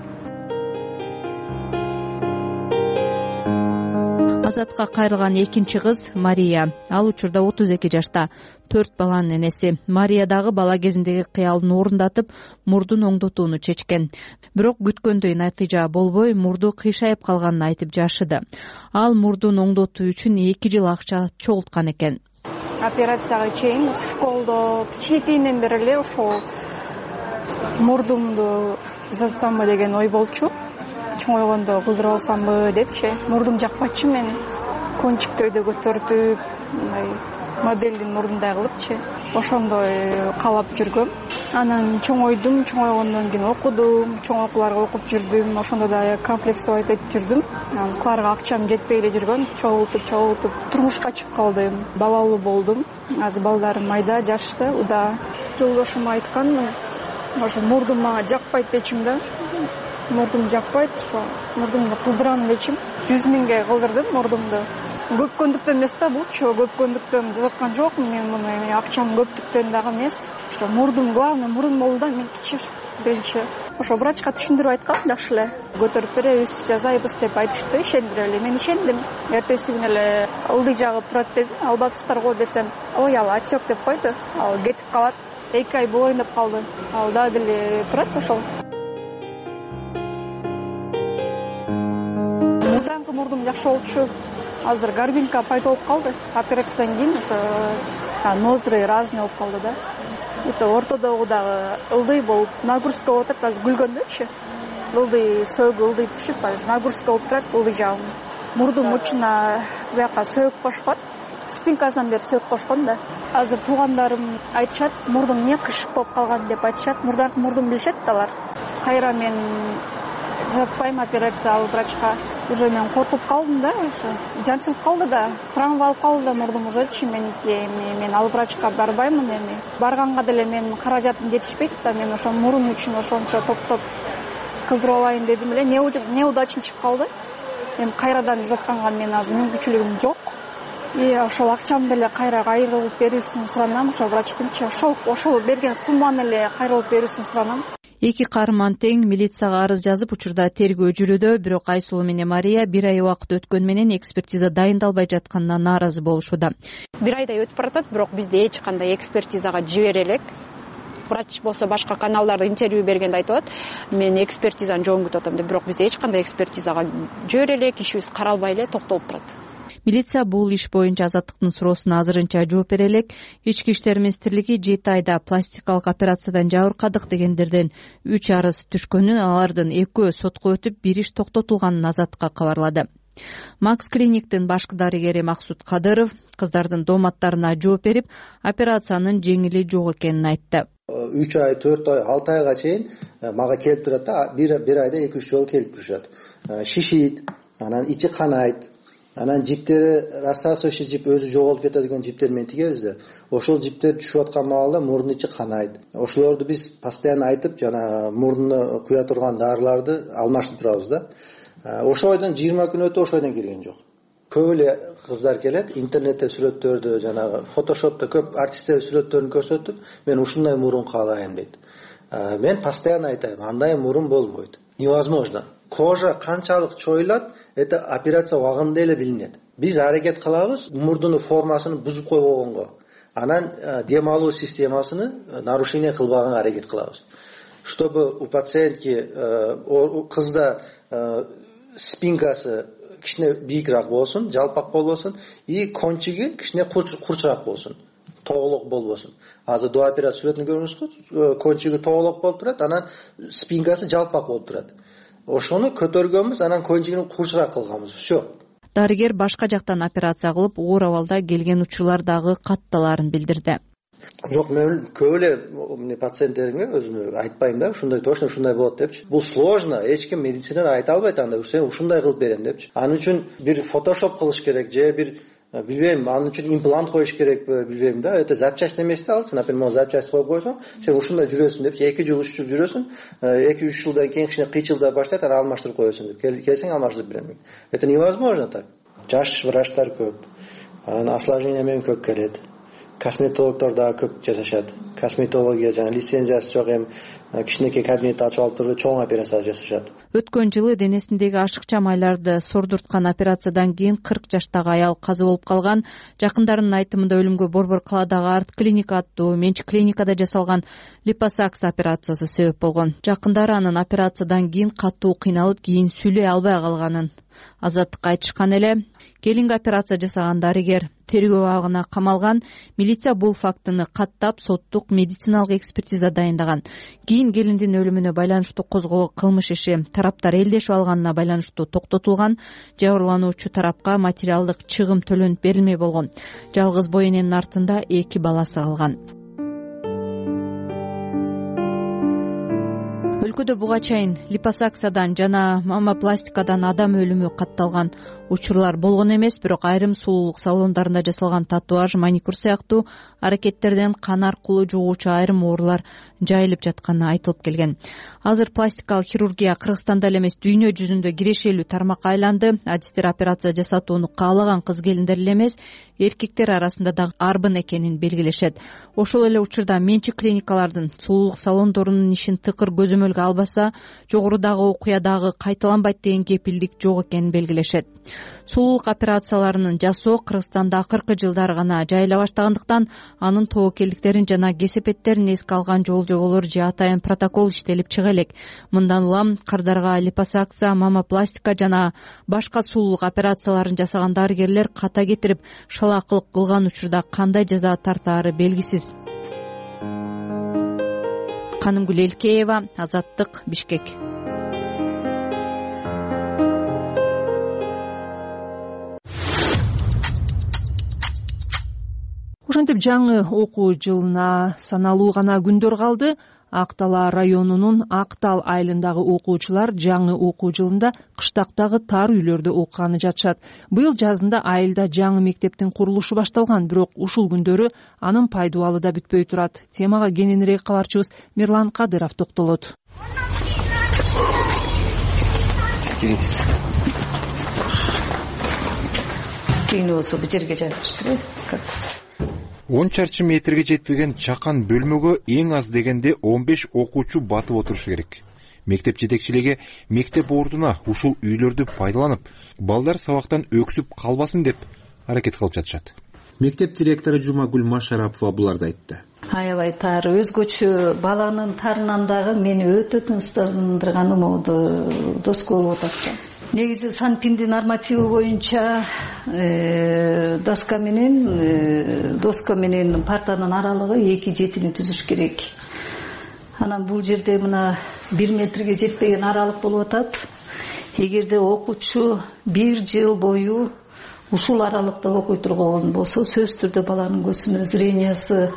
Азатка кайрылган экинчи кыз Мария. Ал учурда отуз эки жашта, төрт баланын энеси. Мария дагы бала кезиндеги кыялын орундатып, мурдун оңдотууну чечкен. Бирок күткөндөй натыйжа болбой, мурду кыйшайып калганын айтып жашыды. Ал мурдун оңдотуу үчүн эки жыл акча чогулткан экен. Операцияга чейин школдо кичинекейинен бери эле ошол мурдумду узатсамбы деген ой болчу. Чоңойгондо кылдырып алсамбы депчи. Мурдум жакпачы, мен кончиктөйдө көтөртүп, мындай модельдин мурдундай кылыпчы. Ошондой каалап жүргөм. Анан чоңойдум, чоңойгондон кийин окудум, чоң окууларга окуп жүрдүм. Ошондо да комплексовать этип жүрдүм. Анан кыларга акчам жетпей эле жүргөн, чогултуп, чогултуп турмушка чыгып калдым. Балалуу болдум. Азыр балдарым майда, жашты, уда. Жолдошум айткан, ошо мурдум мага жакпайт дечим да. Мурдум жакпайт, ошо мурдумду кылдырам дечим. жүз миңге кылдырдым мурдумду. Көпкөндүктөн эмес да булчу, көпкөндүктөн жасаткан жокмун мен муну, акчам көптүктөн дагы эмес. Ошо мурдум, главный мурун болду да, мен кичи биринчи. Ошо врачка түшүндүрүп айткам, жакшы эле. Көтөрүп беребиз, жасайбыз деп айтышты, ишендире эле. Мен ишендим. Эртеси күнү эле ылдый жагып турат деди. Албапсыздар го десем, ой, ал отек деп койду. Ал кетип калат. эки ай болоюн деп калды. Ал дагы деле турат ошол. Мурданкы мурдум жакшы болчу. Азыр горбинка пайда болуп калды. Операциядан кийин ошо ноздри разный болуп калды да. Это ортодогу дагы ылдый болуп, нагрузка болуп атат, азыр күлгөндөчү. Ылдый сөөгү ылдый түшүп, азыр нагрузка болуп турат ылдый жагым. Мурдум учуна буяка сөөгүп кошкон. Спинкасынан бери сөөгүп кошкон да. Азыр туугандарым айтышат, мурдум эмне кышык болуп калган деп айтышат. Мурданкы мурдум билишет да алар. Кайра мен жасатпайм операция ал врачка. Уже мен коркуп калдым да, ошо жанчылып калды да, травма алып калды да мурдум ужечи меники. Мен ал врачка барбаймын эми. Барганга деле мен каражатым жетишпейт да, мен ошо мурун үчүн ошончо топтоп кылдырып алайын дедим эле. Не удачный чыгып калды. Эми кайрадан жасатканга мен азыр мүмкүнчүлүгүм жок. И ошол акчамды деле кайра кайрылып берүүсүн суранам, ошол врачтынчы. Ошол ошол берген сумманы эле кайрылып берүүсүн суранам. Эки каарман тең милицияга арыз жазып, учурда тергөө жүрүүдө, бирок Айсулуу менен Мария бир ай убакыт өткөн менен экспертиза дайындалбай жатканына нааразы болушууда. Бир айдай өтүп баратат, бирок бизде эч кандай экспертизага жибере элек. Врач болсо башка каналдарда интервью бергенде айтып атат, мен экспертизаны жоон күтүп атам деп, бирок бизде эч кандай экспертизага жибере элек, ишибиз каралбай эле токтолуп турат. милиция бул иш боюнча Азаттыктын суроосуна азырынча жооп бере элек. Ички иштер министрлиги жети айда пластикалык операциядан жабыркадык дегендерден үч арыз түшкөнүн, алардын экөө сотко өтүп, бир иш токтотулганын Азаттыкка кабарлады. Макс клиниктин башкы дарыгери Максут Кадыров кыздардын дооматтарына жооп берип, операциянын жеңили жок экенин айтты. үч ай, төрт ай, алты айга чейин мага келип турат да, бир айда эки үч жолу келип турушат. Шишийт, анан ичи канайт, анан жиптери рассасывающий жип өзү жоголуп кетет деген жиптер менен тигебиз да. Ошол жиптер түшүп аткан маалда мурдун ичи канайт. Ошолорду биз постоянно айтып, жана мурдуна куя турган дарыларды алмаштырып турабыз да. Ошол айдан жыйырма күн өтүп ошол айдан келген жок. Көп эле кыздар келет, интернетте сүрөттөрдү, жанагы фотошопто көп артисттер сүрөттөрүн көрсөтүп, мен ушундай мурун каалайм дейт. Мен постоянно айтайм, андай мурун болбойт. Невозможно. Кожа канчалык чоюлат, это операция убагында эле билинет. Биз аракет кылабыз мурдунун формасын бузуп койбогонго, анан дем алуу системасыны нарушение кылбаганга аракет кылабыз. Чтобы у пациентки кызда спинкасы кичине бийикирээк болсун, жалпак болбосун, и кончиги кичине курчураак болсун, тоголок болбосун. Азыр до операция сүрөтүн көрүңүзгү, кончиги тоголок болуп турат, анан спинкасы жалпак болуп турат. Ошону көтөргөнбүз, анан кончигин курчураак кылганбыз. Всё. Дарыгер башка жактан операция кылып, оор абалда келген учурлардагы катталарын билдирди. Жок, мен көп эле пациенттеримге өзүмө айтпайм да, ушундай точно ушундай болот депчи. Бул сложно, эч ким медицинада айта албайт анда, сен ушундай кылып берем депчи. Анын үчүн бир фотошоп кылыш керек, же бир билбейм, анын үчүн имплант коюш керекпи, билбейм да. Это запчасть эмес да, алсын, например, могу запчасть коюп койсоң, сен ушундай жүрөсүң депчи, эки жыл, үч жыл жүрөсүң, эки үч жылдан кийин кичине кыйчылдай баштайт, анан алмаштырып коесуң деп. Келсең алмаштырып берем. Это невозможно так. Жаш врачтар көп. Анан осложнение менен көп келет. Косметологдор да көп жасашат. Косметология жана лицензиясы жок, эми кичинекей кабинет ачып алып туруп чоң операция жасашат. Өткөн жылы денесиндеги ашыкча майларды сордурткан операциядан кийин кырк жаштагы аял каза болуп калган. Жакындарынын айтымында өлүмгө Борбор калаадагы Арт клиника аттуу менчик клиникада жасалган липосакс операциясы себеп болгон. Жакындары анын операциядан кийин катуу кыйналып, кийин сүйлөй албай калганын Азаттыкка айтышкан эле. Келинге операция жасаган дарыгер тергөө абагына камалган. Милиция бул фактыны каттап, соттук медициналык экспертиза дайындаган. Кийин келиндин өлүмүнө байланыштуу козголгон кылмыш иши тараптар элдешип алганына байланыштуу токтотулган. Жабырлануучу тарапка материалдык чыгым төлөнүп берилмей болгон. Жалгыз бой эненин артында эки баласы калган. Өлкөдө буга чейин липосакциядан жана мамопластикадан адам өлүмү катталган учурлар болгон эмес, бирок айрым сулуулук салондарында жасалган татуаж, маникюр сыяктуу аракеттерден кан аркылуу жугуучу айрым оорулар жайылып жатканы айтылып келген. Азыр пластикалык хирургия Кыргызстанда эле эмес, дүйнө жүзүндө кирешелүү тармакка айланды. Адистер операция жасатууну каалаган кыз келиндер эле эмес, эркектер арасында да арбын экенин белгилешет. Ошол эле учурда менчик клиникалардын сулуулук салондорунун ишин тыкыр көзөмөлгө албаса, жогорудагы окуя дагы кайталанбайт деген кепилдик жок экенин белгилешет. Сулуулук операцияларынын жасоо Кыргызстанда акыркы жылдары гана жайыла баштагандыктан, анын тобокелдиктерин жана кесепеттерин эске алган жол жоболор же атайын протокол иштелип чыга элек. Мындан улам кардарга липосакция, мамопластика жана башка сулуулук операцияларын жасаган дарыгерлер ката кетирип шалаакылык кылган учурда кандай жаза тартаары белгисиз. Канымгүл Элкеева, Азаттык, Бишкек. Ошентип жаңы окуу жылына саналуу гана күндөр калды. Ак Дала районунун Ак Тал айылындагы окуучулар жаңы окуу жылында кыштактагы тар үйлөрдө окуганы жатышат. Быйыл жазында айылда жаңы мектептин курулушу башталган, бирок ушул күндөрү анын пайдубалы да бүтпөй турат. Темага кененирээк кабарчыбыз Мирлан Кадыров токтолот. Кийин болсо бу жерге жайгаштырып, он чарчы метрге жетпеген чакан бөлмөгө эң аз дегенде он беш окуучу батып отурушу керек. Мектеп жетекчилиги мектеп ордуна ушул үйлөрдү пайдаланып, балдар сабактан өксүп калбасын деп аракет кылып жатышат. Мектеп директору Жумагүл Машарапова буларды айтты. Аябай тар, өзгөчө баланын тарынан дагы мени өтө тынчсыздандырганы могу доска болуп атат. негизи санпиндин нормативи боюнча доска менен доска менен партанын аралыгы эки жетини түзүш керек. Анан бул жерде мына бир метрге жетпеген аралык болуп атат. Эгерде окуучу бир жыл бою ушул аралыкта окуй турган болсо, сөзсүз түрдө баланын көзүнө зрениясы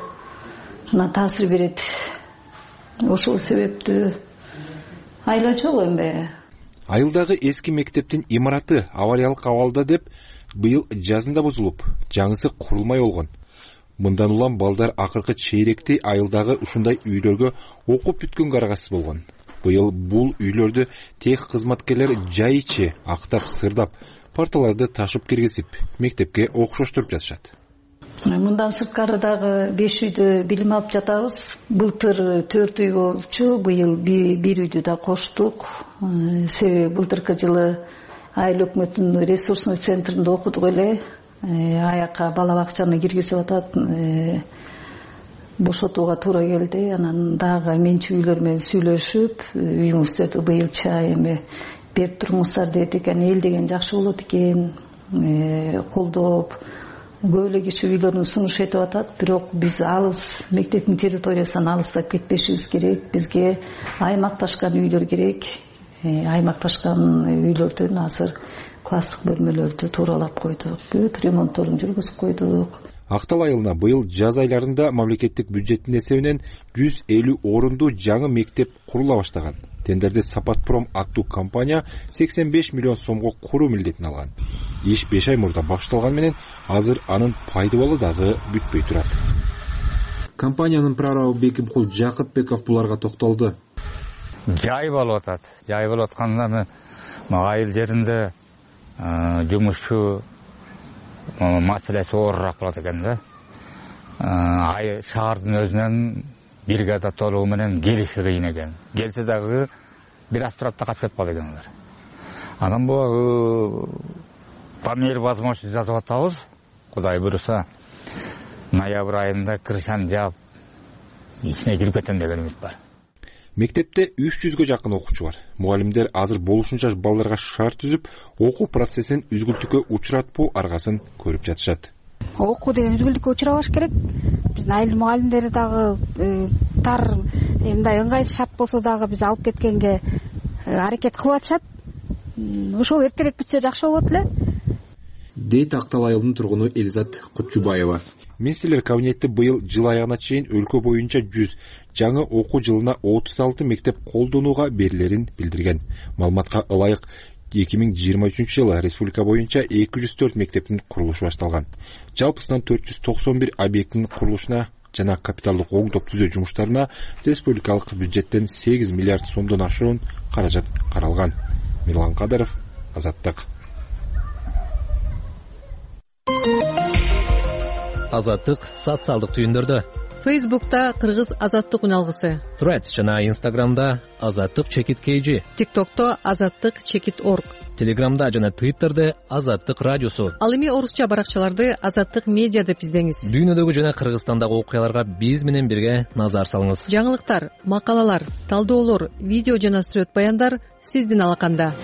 таасир берет. Ошол себептүү айла жок эмне. Айылдагы эски мектептин имараты авариялык абалда деп быйыл жазында бузулуп, жаңысы курулмай болгон. Мындан улам балдар акыркы чейректи айылдагы ушундай үйлөргө окуп бүткөнгө карагасыз болгон. Быйыл бул үйлөрдү тех кызматкерлер жай ичи актап сырдап, парталарды ташып киргизип, мектепке окшоштуруп жатышат. Мындан сырткары дагы беш үйдө билим алып жатабыз. Былтыр төрт үй болчу, быйыл бир үйдү да коштук. Себеби былтыркы жылы айыл өкмөтүнүн ресурсный центринде окудук эле. Аяка бала бакчаны киргизип атат. Бошотууга туура келди. Анан дагы менчик үйлөр менен сүйлөшүп, үйүңүздөрдү быйылча эме берип туруңуздар дедик. Эл деген жакшы болот экен, колдоп көп эле киши үйлөрүн сунуш этип атат. Бирок биз алыс мектептин территориясынан алыстап кетпешибиз керек. Бизге аймакташкан үйлөр керек. Аймакташкан үйлөрдөн азыр класстык бөлмөлөрдү тууралап койдук. Бүт ремонтторун жүргүзүп койдук. Актал айылына быйыл жаз айларында мамлекеттик бюджеттин эсебинен жүз элүү орунду жаңы мектеп курула баштаган. Тендерде Сапатпром аттуу компания сексен беш миллион сомго куруу милдетин алган. Иш беш ай мурда башталган менен азыр анын пайдабалы дагы бүтпөй турат. Компаниянын прорабы Бекимкул Жакыпбеков буларга токтолду. Жай болуп атат. Жай болуп атканда айыл жеринде жумушчу маселеси оорураак болот экен да. Ай шаардын өзүнөн бригада толугу менен келиши кыйын экен. Келсе дагы бир аз турат да качып кетпайт экен алар. Анан бул по мере возможности жазып атабыз. Кудай буйруса ноябрь айында крышаны жаап ичине кирип кетем дегенибиз бар. Мектепте үч жүзгө жакын окуучу бар. Мугалимдер азыр болушунча балдарга шарт түзүп, окуу процессин үзгүлтүккө учуратпоо аргасын көрүп жатышат. Окуу деген үзгүлтүккө учурабаш керек. Биздин айыл мугалимдери дагы тар мындай ыңгайсыз шарт болсо дагы биз алып кеткенге аракет кылып атышат. Ошол эртерээк бүтсө жакшы болот эле. Дейт Актал айылынын тургуну Элизат Кутчубаева. Министрлер кабинети быйыл жыл аягына чейин өлкө боюнча жүз, жаңы окуу жылына отуз алты мектеп колдонууга берилерин билдирген. Маалыматка ылайык эки миң жыйырма үчүнчү жылы республика боюнча эки жүз төрт мектептин курулушу башталган. Жалпысынан төрт жүз токсон бир объекттин курулушуна жана капиталдык оңдоп түзөө жумуштарына республикалык бюджеттен сегиз миллиард сомдон ашуун каражат каралган. Мирлан Кадыров, Азаттык. Азаттык социалдык түйүндөрдө. Фейсбукта Кыргыз Азаттык уналгысы. Threads жана Instagramда Азаттык чекит kg. TikTokто Азаттык чекит org. Телеграмда жана Twitterде Азаттык радиосу. Ал эми орусча баракчаларды Азаттык медиа деп издеңиз. Дүйнөдөгү жана Кыргызстандагы окуяларга биз менен бирге назар салыңыз. Жаңылыктар, макалалар, талдоолор, видео жана сүрөт баяндар сиздин алаканда.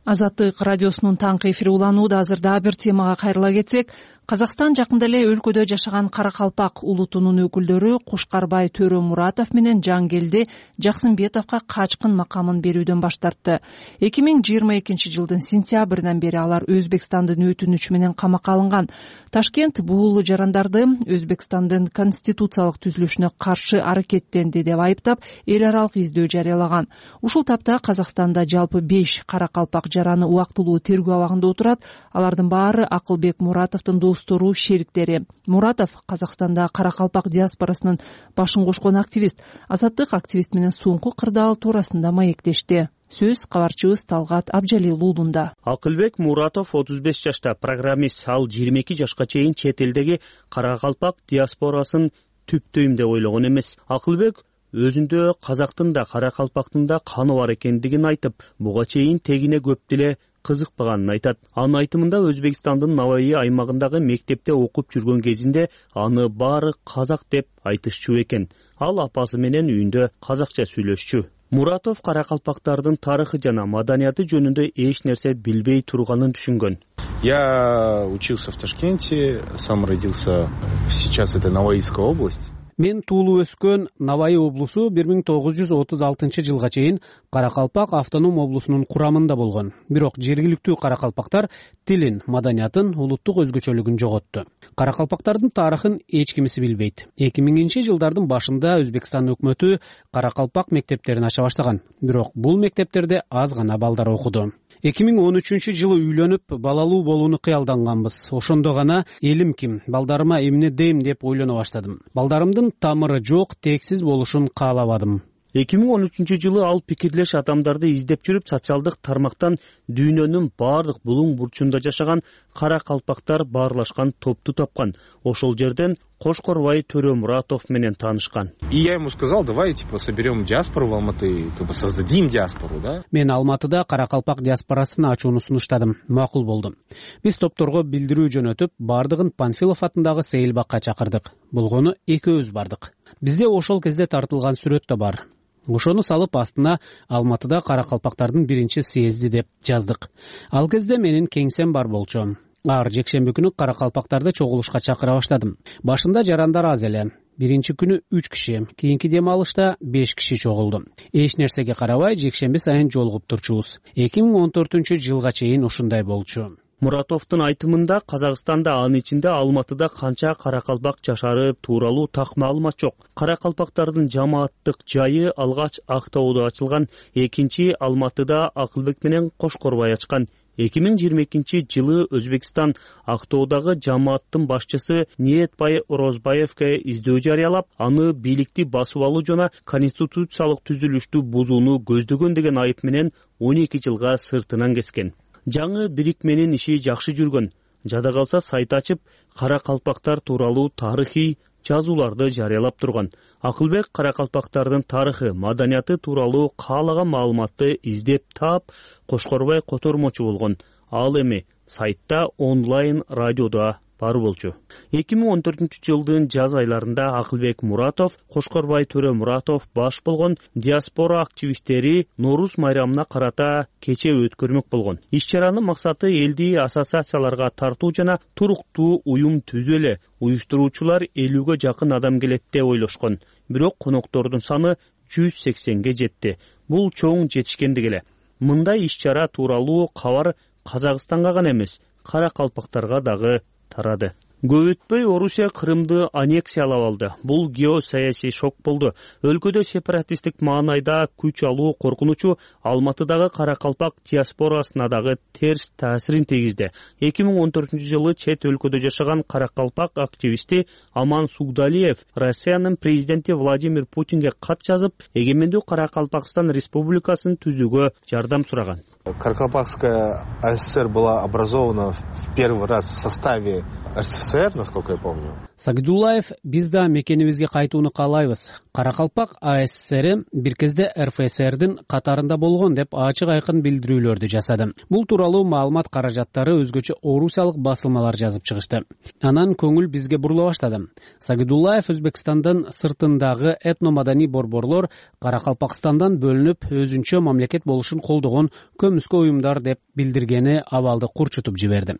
Азаттык радиосунун таңкы эфири уланууда. Азырда бир темага кайрыла кетсек, Казакстан жакында эле өлкөдө жашаган Каракалпак улутунун өкүлдөрү Кушкарбай Төрө Муратов менен Жангелди Жаксынбетовго качкын макамын берүүдөн баш тартты. эки миң жыйырма экинчи жылдын сентябрынан бери алар Өзбекстандын өтүнүчү менен камакка алынган. Ташкент бул жарандарды Өзбекстандын конституциялык түзүлүшүнө каршы аракеттенди деп айыптап, эл аралык издөө жарыялаган. Ушул тапта Казакстанда жалпы беш Каракалпак жараны убактылуу тергөө абагында отурат. Алардын баары Акылбек Муратовдун достору, шериктери. Муратов Казакстанда Каракалпак диаспорасынын башын кошкон активист. Азаттык активист менен соңку кырдаал туурасында маектешти. Сөз кабарчыбыз Талгат Абжалил уулунда. Акылбек Муратов отуз беш жашта, программист. Ал жыйырма эки жашка чейин чет элдеги Каракалпак диаспорасын түптөйм деп ойлогон эмес. Акылбек өзүндө казактын да Каракалпактын да каны бар экендигин айтып, буга чейин тегине көп деле кызыкпаганын айтат. Анын айтымында Өзбекстандын Наваи аймагындагы мектепте окуп жүргөн кезинде аны баары казак деп айтышчу экен. Ал апасы менен үйүндө казакча сүйлөшчү. Муратов каракалпактардын тарыхы жана маданияты жөнүндө эч нерсе билбей турганын түшүнгөн. Я учился в Ташкенте, сам родился, сейчас это Наваийская область. Мен туулуп өскөн Наваи облусу бир миң тогуз жүз отуз алтынчы жылга чейин Каракалпак автоном облусунун курамында болгон. Бирок жергиликтүү каракалпактар тилин, маданиятын, улуттук өзгөчөлүгүн жоготту. Каракалпактардын тарыхын эч кимиси билбейт. эки миңинчи жылдардын башында Өзбекстан өкмөтү каракалпак мектептерин ача баштаган. Бирок бул мектептерде аз гана балдар окуду. эки миң он үчүнчү жылы үйлөнүп, балалуу болууну кыялданганбыз. Ошондо гана элим ким, балдарыма эмне дейм деп ойлоно баштадым. Балдарымдын тамыры жок, тексиз болушун каалабадым. эки миң он үчүнчү жылы ал пикирлеш адамдарды издеп жүрүп, социалдык тармактан дүйнөнүн бардык булуң бурчунда жашаган каракалпактар баарлашкан топту тапкан. Ошол жерден Кошкорбай Төрөмуратов менен таанышкан. И я ему сказал, давай типа соберем диаспору в Алматы, как бы создадим диаспору, да? Мен Алматыда каракалпак диаспорасын ачууну сунуштадым. Макул болду. Биз топторго билдирүү жөнөтүп, бардыгын Панфилов атындагы Сейилбакка чакырдык. Болгону экөөбүз бардык. Бизде ошол кезде тартылган сүрөт да бар. Ошону салып астына Алматыда каракалпактардын биринчи съезди деп жаздык. Ал кезде менин кеңсем бар болчу. Ар жекшемби күнү каракалпактарды чогулушка чакыра баштадым. Башында жарандар аз эле. Биринчи күнү үч киши, кийинки дем алышта беш киши чогулду. Эч нерсеге карабай жекшемби сайын жолугуп турчубуз. эки миң он төртүнчү жылга чейин ушундай болчу. Муратовдун айтымында Казакстанда, анын ичинде Алматыда канча каракалпак жашары тууралуу так маалымат жок. Каракалпактардын жамааттык жайы алгач Актоодо ачылган, экинчи Алматыда Акылбек менен Кошкорбай ачкан. эки миң жыйырма экинчи жылы Өзбекстан Актоодагы жамааттын башчысы Ниетбай Орозбаевке издөө жарыялап, аны бийликти басып алуу жана конституциялык түзүлүштү бузууну көздөгөн деген айып менен он эки жылга сыртынан кескен. Жаңы бирикменин иши жакшы жүргөн. Жада калса сайт ачып, каракалпактар тууралуу тарыхый жазууларды жарыялап турган. Акылбек каракалпактардын тарыхы, маданияты тууралуу каалаган маалыматты издеп таап, Кошкорбай котормочу болгон. Ал эми сайтта онлайн радиодо бар болчу. эки миң он төртүнчү жылдын жаз айларында Акылбек Муратов, Кошкорбай Төрөмуратов баш болгон диаспора активисттери Нооруз майрамына карата кече өткөрмөк болгон. Иш-чаранын максаты элди ассоциацияларга тартуу жана туруктуу уюм түзүү эле. Уюштуруучулар элүүгө жакын адам келет деп ойлошкон. Бирок коноктордун саны жүз сексенге жетти. Бул чоң жетишкендик эле. Мындай иш-чара тууралуу кабар Казакстанга гана эмес, каракалпактарга дагы тарады. Көп өтпөй Орусия Крымды аннексиялап алды. Бул геосаясий шок болду. Өлкөдө сепаратисттик маанайда күч алуу коркунучу Алматыдагы каракалпак диаспорасына дагы терс таасирин тийгизди. эки миң он төртүнчү жылы чет өлкөдө жашаган каракалпак активисти Аман Сугдалиев Россиянын президенти Владимир Путинге кат жазып, эгемендүү Каракалпакстан республикасын түзүүгө жардам сураган. Каракалпакская АССР была образована в первый раз в составе РСФСР, насколько я помню. Сагдуллаев, биз да мекенибизге кайтууну каалайбыз. Каракалпак АССР бир кезде РФСРдин катарында болгон деп ачык айкын билдирүүлөрдү жасады. Бул тууралуу маалымат каражаттары өзгөчө орусиялык басылмалар жазып чыгышты. Анан көңүл бизге бурула баштады. Сагдуллаев Өзбекстандын сыртындагы этномаданий борборлор Каракалпакстандан бөлүнүп, өзүнчө мамлекет болушун колдогон көмүскө уюмдар деп билдиргени абалды курчутуп жиберди.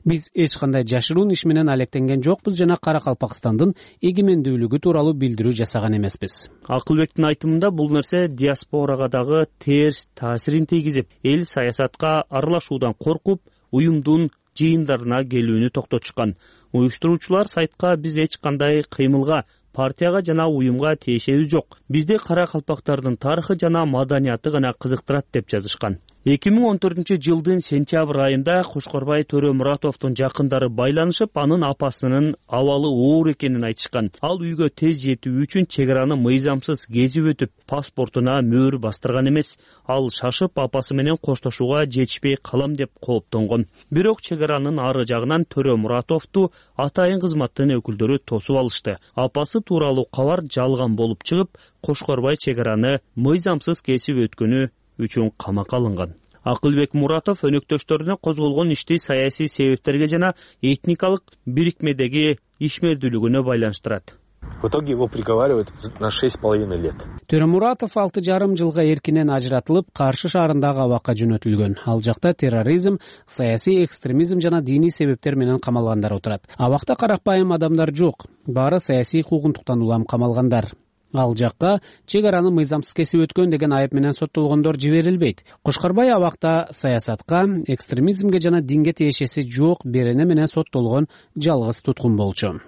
Биз эч кандай жашыруун иш менен алектенген жокпуз жана Каракалпакстандын эгемендүүлүгү тууралуу билдирүү жасаган эмеспиз. Акылбектин айтымында бул нерсе диаспорага дагы терс таасирин тийгизип, эл саясатка аралашуудан коркуп, уюмдун жыйындарына келүүнү токтотушкан. Уюштуруучулар сайтка биз эч кандай кыймылга, партияга жана уюмга тиешебиз жок. Бизде каракалпактардын тарыхы жана маданияты гана кызыктырат деп жазышкан. эки миң он төртүнчү жылдын сентябрь айында Кошкорбай Төрөмуратовдун жакындары байланышып, анын апасынын абалы оор экенин айтышкан. Ал үйгө тез жетүү үчүн чек араны мыйзамсыз кезип өтүп, паспортуна мөөр бастырган эмес. Ал шашып апасы менен коштошууга жетишпей калам деп кооптонгон. Бирок чек аранын ары жагынан Төрөмуратовду атайын кызматтын өкүлдөрү тосуп алышты. Апасы тууралуу кабар жалган болуп чыгып, Кошкорбай чек араны мыйзамсыз кесип өткөнү үчүн камакка алынган. Акылбек Муратов өнөктөштөрүнө козголгон ишти саясий себептерге жана этникалык бирикмедеги ишмердүүлүгүнө байланыштырат. В итоге его приговаривают на шесть с половиной лет. Төрөмуратов алты жарым жылга эркинен ажыратылып, Каршы шаарындагы абакка жөнөтүлгөн. Ал жакта терроризм, саясий экстремизм жана диний себептер менен камалгандар отурат. Абакта карапайым адамдар жок. Баары саясий куугунтуктан улам камалгандар. Ал жакка чек араны мыйзамсыз кесип өткөн деген айып менен соттолгондор жиберилбейт. Кошкорбай абакта саясатка, экстремизмге жана динге тиешеси жок берене менен соттолгон жалгыз туткун болчу.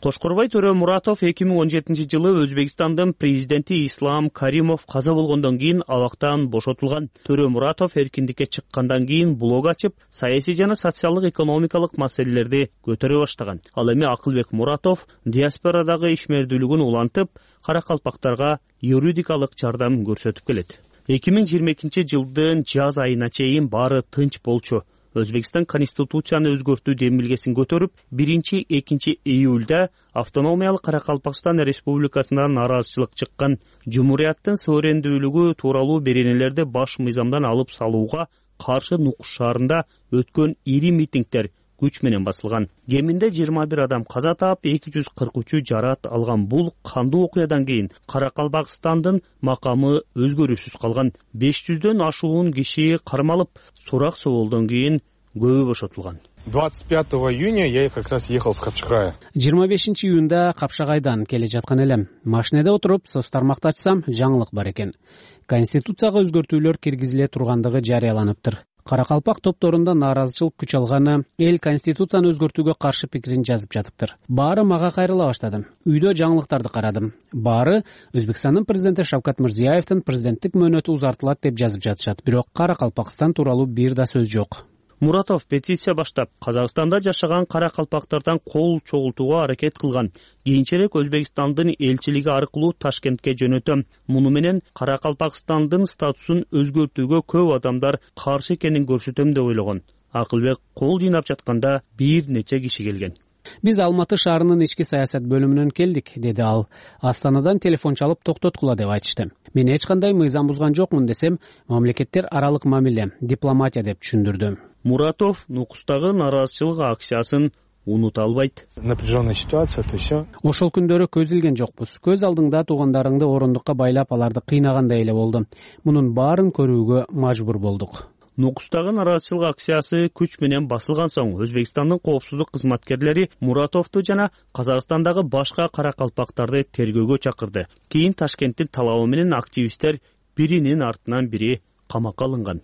Кошкорбай Төрөмуратов эки миң он жетинчи жылы Өзбекстандын президенти Ислам Каримов каза болгондон кийин абактан бошотулган. Төрөмуратов эркиндикке чыккандан кийин блог ачып, саясий жана социалдык экономикалык маселелерди көтөрө баштаган. Ал эми Акылбек Муратов диаспорадагы ишмердүүлүгүн улантып, каракалпактарга юридикалык жардам көрсөтүп келет. эки миң жыйырма экинчи жылдын жаз айына чейин баары тынч болчу. Өзбекстан конституцияны өзгөртүү демилгесин көтөрүп, биринчи экинчи июлда автономиялык Каракалпакстан республикасынан нараазычылык чыккан. Жумурияттын суверендүүлүгү тууралуу беренелерди баш мыйзамдан алып салууга каршы Нукус шаарында өткөн ири митингдер күч менен басылган. Кеминде жыйырма бир адам каза таап, эки жүз кырк үчү жараат алган. Бул кандуу окуядан кийин Каракалпакстандын макамы өзгөрүүсүз калган. беш жүздөн ашуун киши кармалып, сурак соолдон кийин көбү бошотулган. двадцать пятого июня я как раз ехал с Капчагая. жыйырма бешинчи июнда Капшагайдан келе жаткан элем. Машинеде отуруп, соц тармакты ачсам, жаңылык бар экен. Конституцияга өзгөртүүлөр киргизиле тургандыгы жарыяланыптыр. Каракалпак топторунда нааразычылык күч алганы, эл конституцияны өзгөртүүгө каршы пикирин жазып жатыптыр. Баары мага кайрыла баштады. Үйдө жаңылыктарды карадым. Баары Өзбекстандын президенти Шавкат Мирзиёевдин президенттик мөөнөтү узартылат деп жазып жатышат. Бирок Каракалпакстан тууралуу бир да сөз жок. Муратов петиция баштап, Казакстанда жашаган каракалпактардан кол чогултууга аракет кылган. Кийинчерээк Өзбекстандын элчилиги аркылуу Ташкентке жөнөтөм. Муну менен Каракалпакстандын статусун өзгөртүүгө көп адамдар каршы экенин көрсөтөм деп ойлогон. Акылбек кол жыйнап жатканда бир нече киши келген. Биз Алматы шаарынын ички саясат бөлүмүнөн келдик, деди ал. Астанадан телефон чалып токтоткула деп айтышты. Мен эч кандай мыйзам бузган жокмун десем, мамлекеттер аралык мамиле, дипломатия деп түшүндүрдү. Муратов Нукустагы нараазычылык акциясын унута албайт. Напряженная ситуация, то все. Ошол күндөрү көз илген жокпуз. Көз алдыңда туугандарыңды орундукка байлап аларды кыйнагандай эле болду. Мунун баарын көрүүгө мажбур болдук. Нукустагы нараазычылык акциясы күч менен басылган соң Өзбекстандын коопсуздук кызматкерлери Муратовду жана Казакстандагы башка каракалпактарды тергөөгө чакырды. Кийин Ташкенттин талабы менен активисттер биринин артынан бири камакка алынган.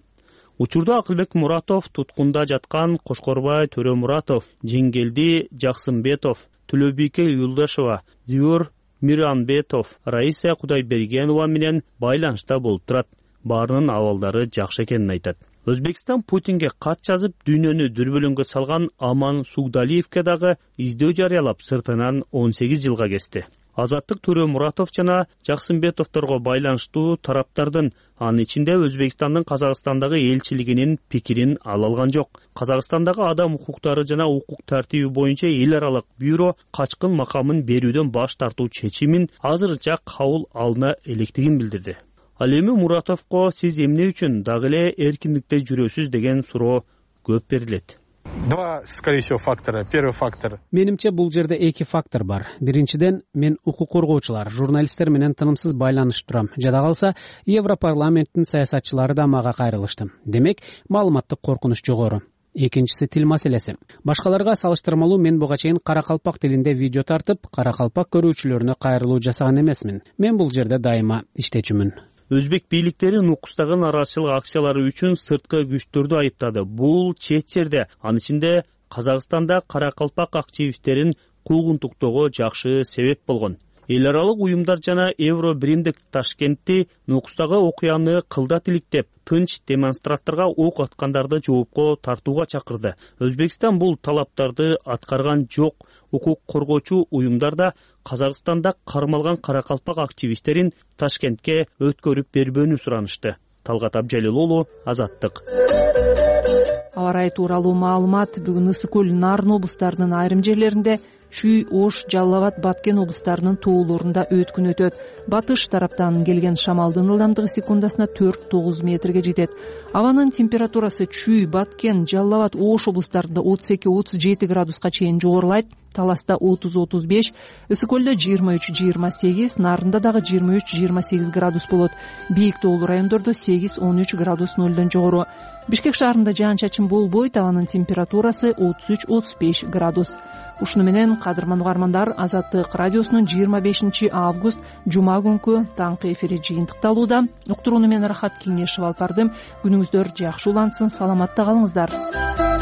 Учурда Акылбек Муратов туткунда жаткан Кошкорбай Төрөмуратов, Жеңгелди Жаксымбетов, Төлөбийке Юлдашева, Дүйөр Миранбетов, Раиса Кудайбергенова менен байланышта болуп турат. Баарынын абалдары жакшы экенин айтат. Өзбекстан Путинге кат жазып, дүйнөнү дүрбөлөңгө салган Аман Сугдалиевке дагы издөө жарыялап, сыртынан он сегиз жылга кести. Азаттык Төрөмуратов жана Жаксымбетовторго байланыштуу тараптардын, анын ичинде Өзбекстандын Казакстандагы элчилигинин пикирин ала алган жок. Казакстандагы адам укуктары жана укук тартиби боюнча эл аралык бюро качкын макамын берүүдөн баш тартуу чечимин азырынча кабыл алына электигин билдирди. Ал эми Муратовго сиз эмне үчүн дагы эле эркиндикте жүрөсүз деген суроо көп берилет. Два, скорее всего, фактора. Первый фактор. Менимче бул жерде эки фактор бар. Биринчиден, мен укук коргоочулар, журналисттер менен тынымсыз байланышып турам. Жада калса, Европарламенттин саясатчылары да мага кайрылышты. Демек, маалыматтык коркунуч жогору. Экинчиси тил маселеси. Башкаларга салыштырмалуу мен буга чейин каракалпак тилинде видео тартып, каракалпак көрүүчүлөрүнө кайрылуу жасаган эмесмин. Мен бул жерде дайыма иштечүмүн. Өзбек бийликтери Нукустагы нараазычылык акциялары үчүн сырткы күчтөрдү айыптады. Бул чет жерде, анын ичинде Казакстанда каракалпак активисттерин куугунтуктоого жакшы себеп болгон. Эл аралык уюмдар жана Евро биримдик Ташкентти Нукустагы окуяны кылдат иликтеп, тынч демонстранттарга ок аткандарды жоопко тартууга чакырды. Өзбекстан бул талаптарды аткарган жок. Укук коргоочу уюмдар да Казакстанда кармалган каракалпак активисттерин Ташкентке өткөрүп бербөөнү суранышты. Талгат Абжалил уулу, Азаттык. Аба ырайы тууралуу маалымат бүгүн Ысык көл, Нарын облустарынын айрым жерлеринде Чүй, Ош, Жалал Абад, Баткен облустарынын тоолорунда өткүн өтөт. Батыш тараптан келген шамалдын ылдамдыгы секундасына төрт тогуз метрге жетет. Абанын температурасы Чүй, Баткен, Жалал Абад, Ош облустарында отуз эки отуз жети градуска чейин жогорулайт. Таласта отуз отуз беш, Ысык көлдө жыйырма үч жыйырма сегиз, Нарында дагы жыйырма үч жыйырма сегиз градус болот. Бийик тоолуу райондордо сегиз он үч градус нөлдөн жогору. Бишкек шаарында жаан-чачын болбойт, абанын температурасы отуз үч отуз беш градус. Ушуну менен кадырман угармандар, Азаттык радиосунун жыйырма бешинчи август жума күнкү таңкы эфири жыйынтыкталууда. Уктурууну мен Рахат Кеңешев алып бардым. Күнүңүздөр жакшы улансын, саламатта калыңыздар.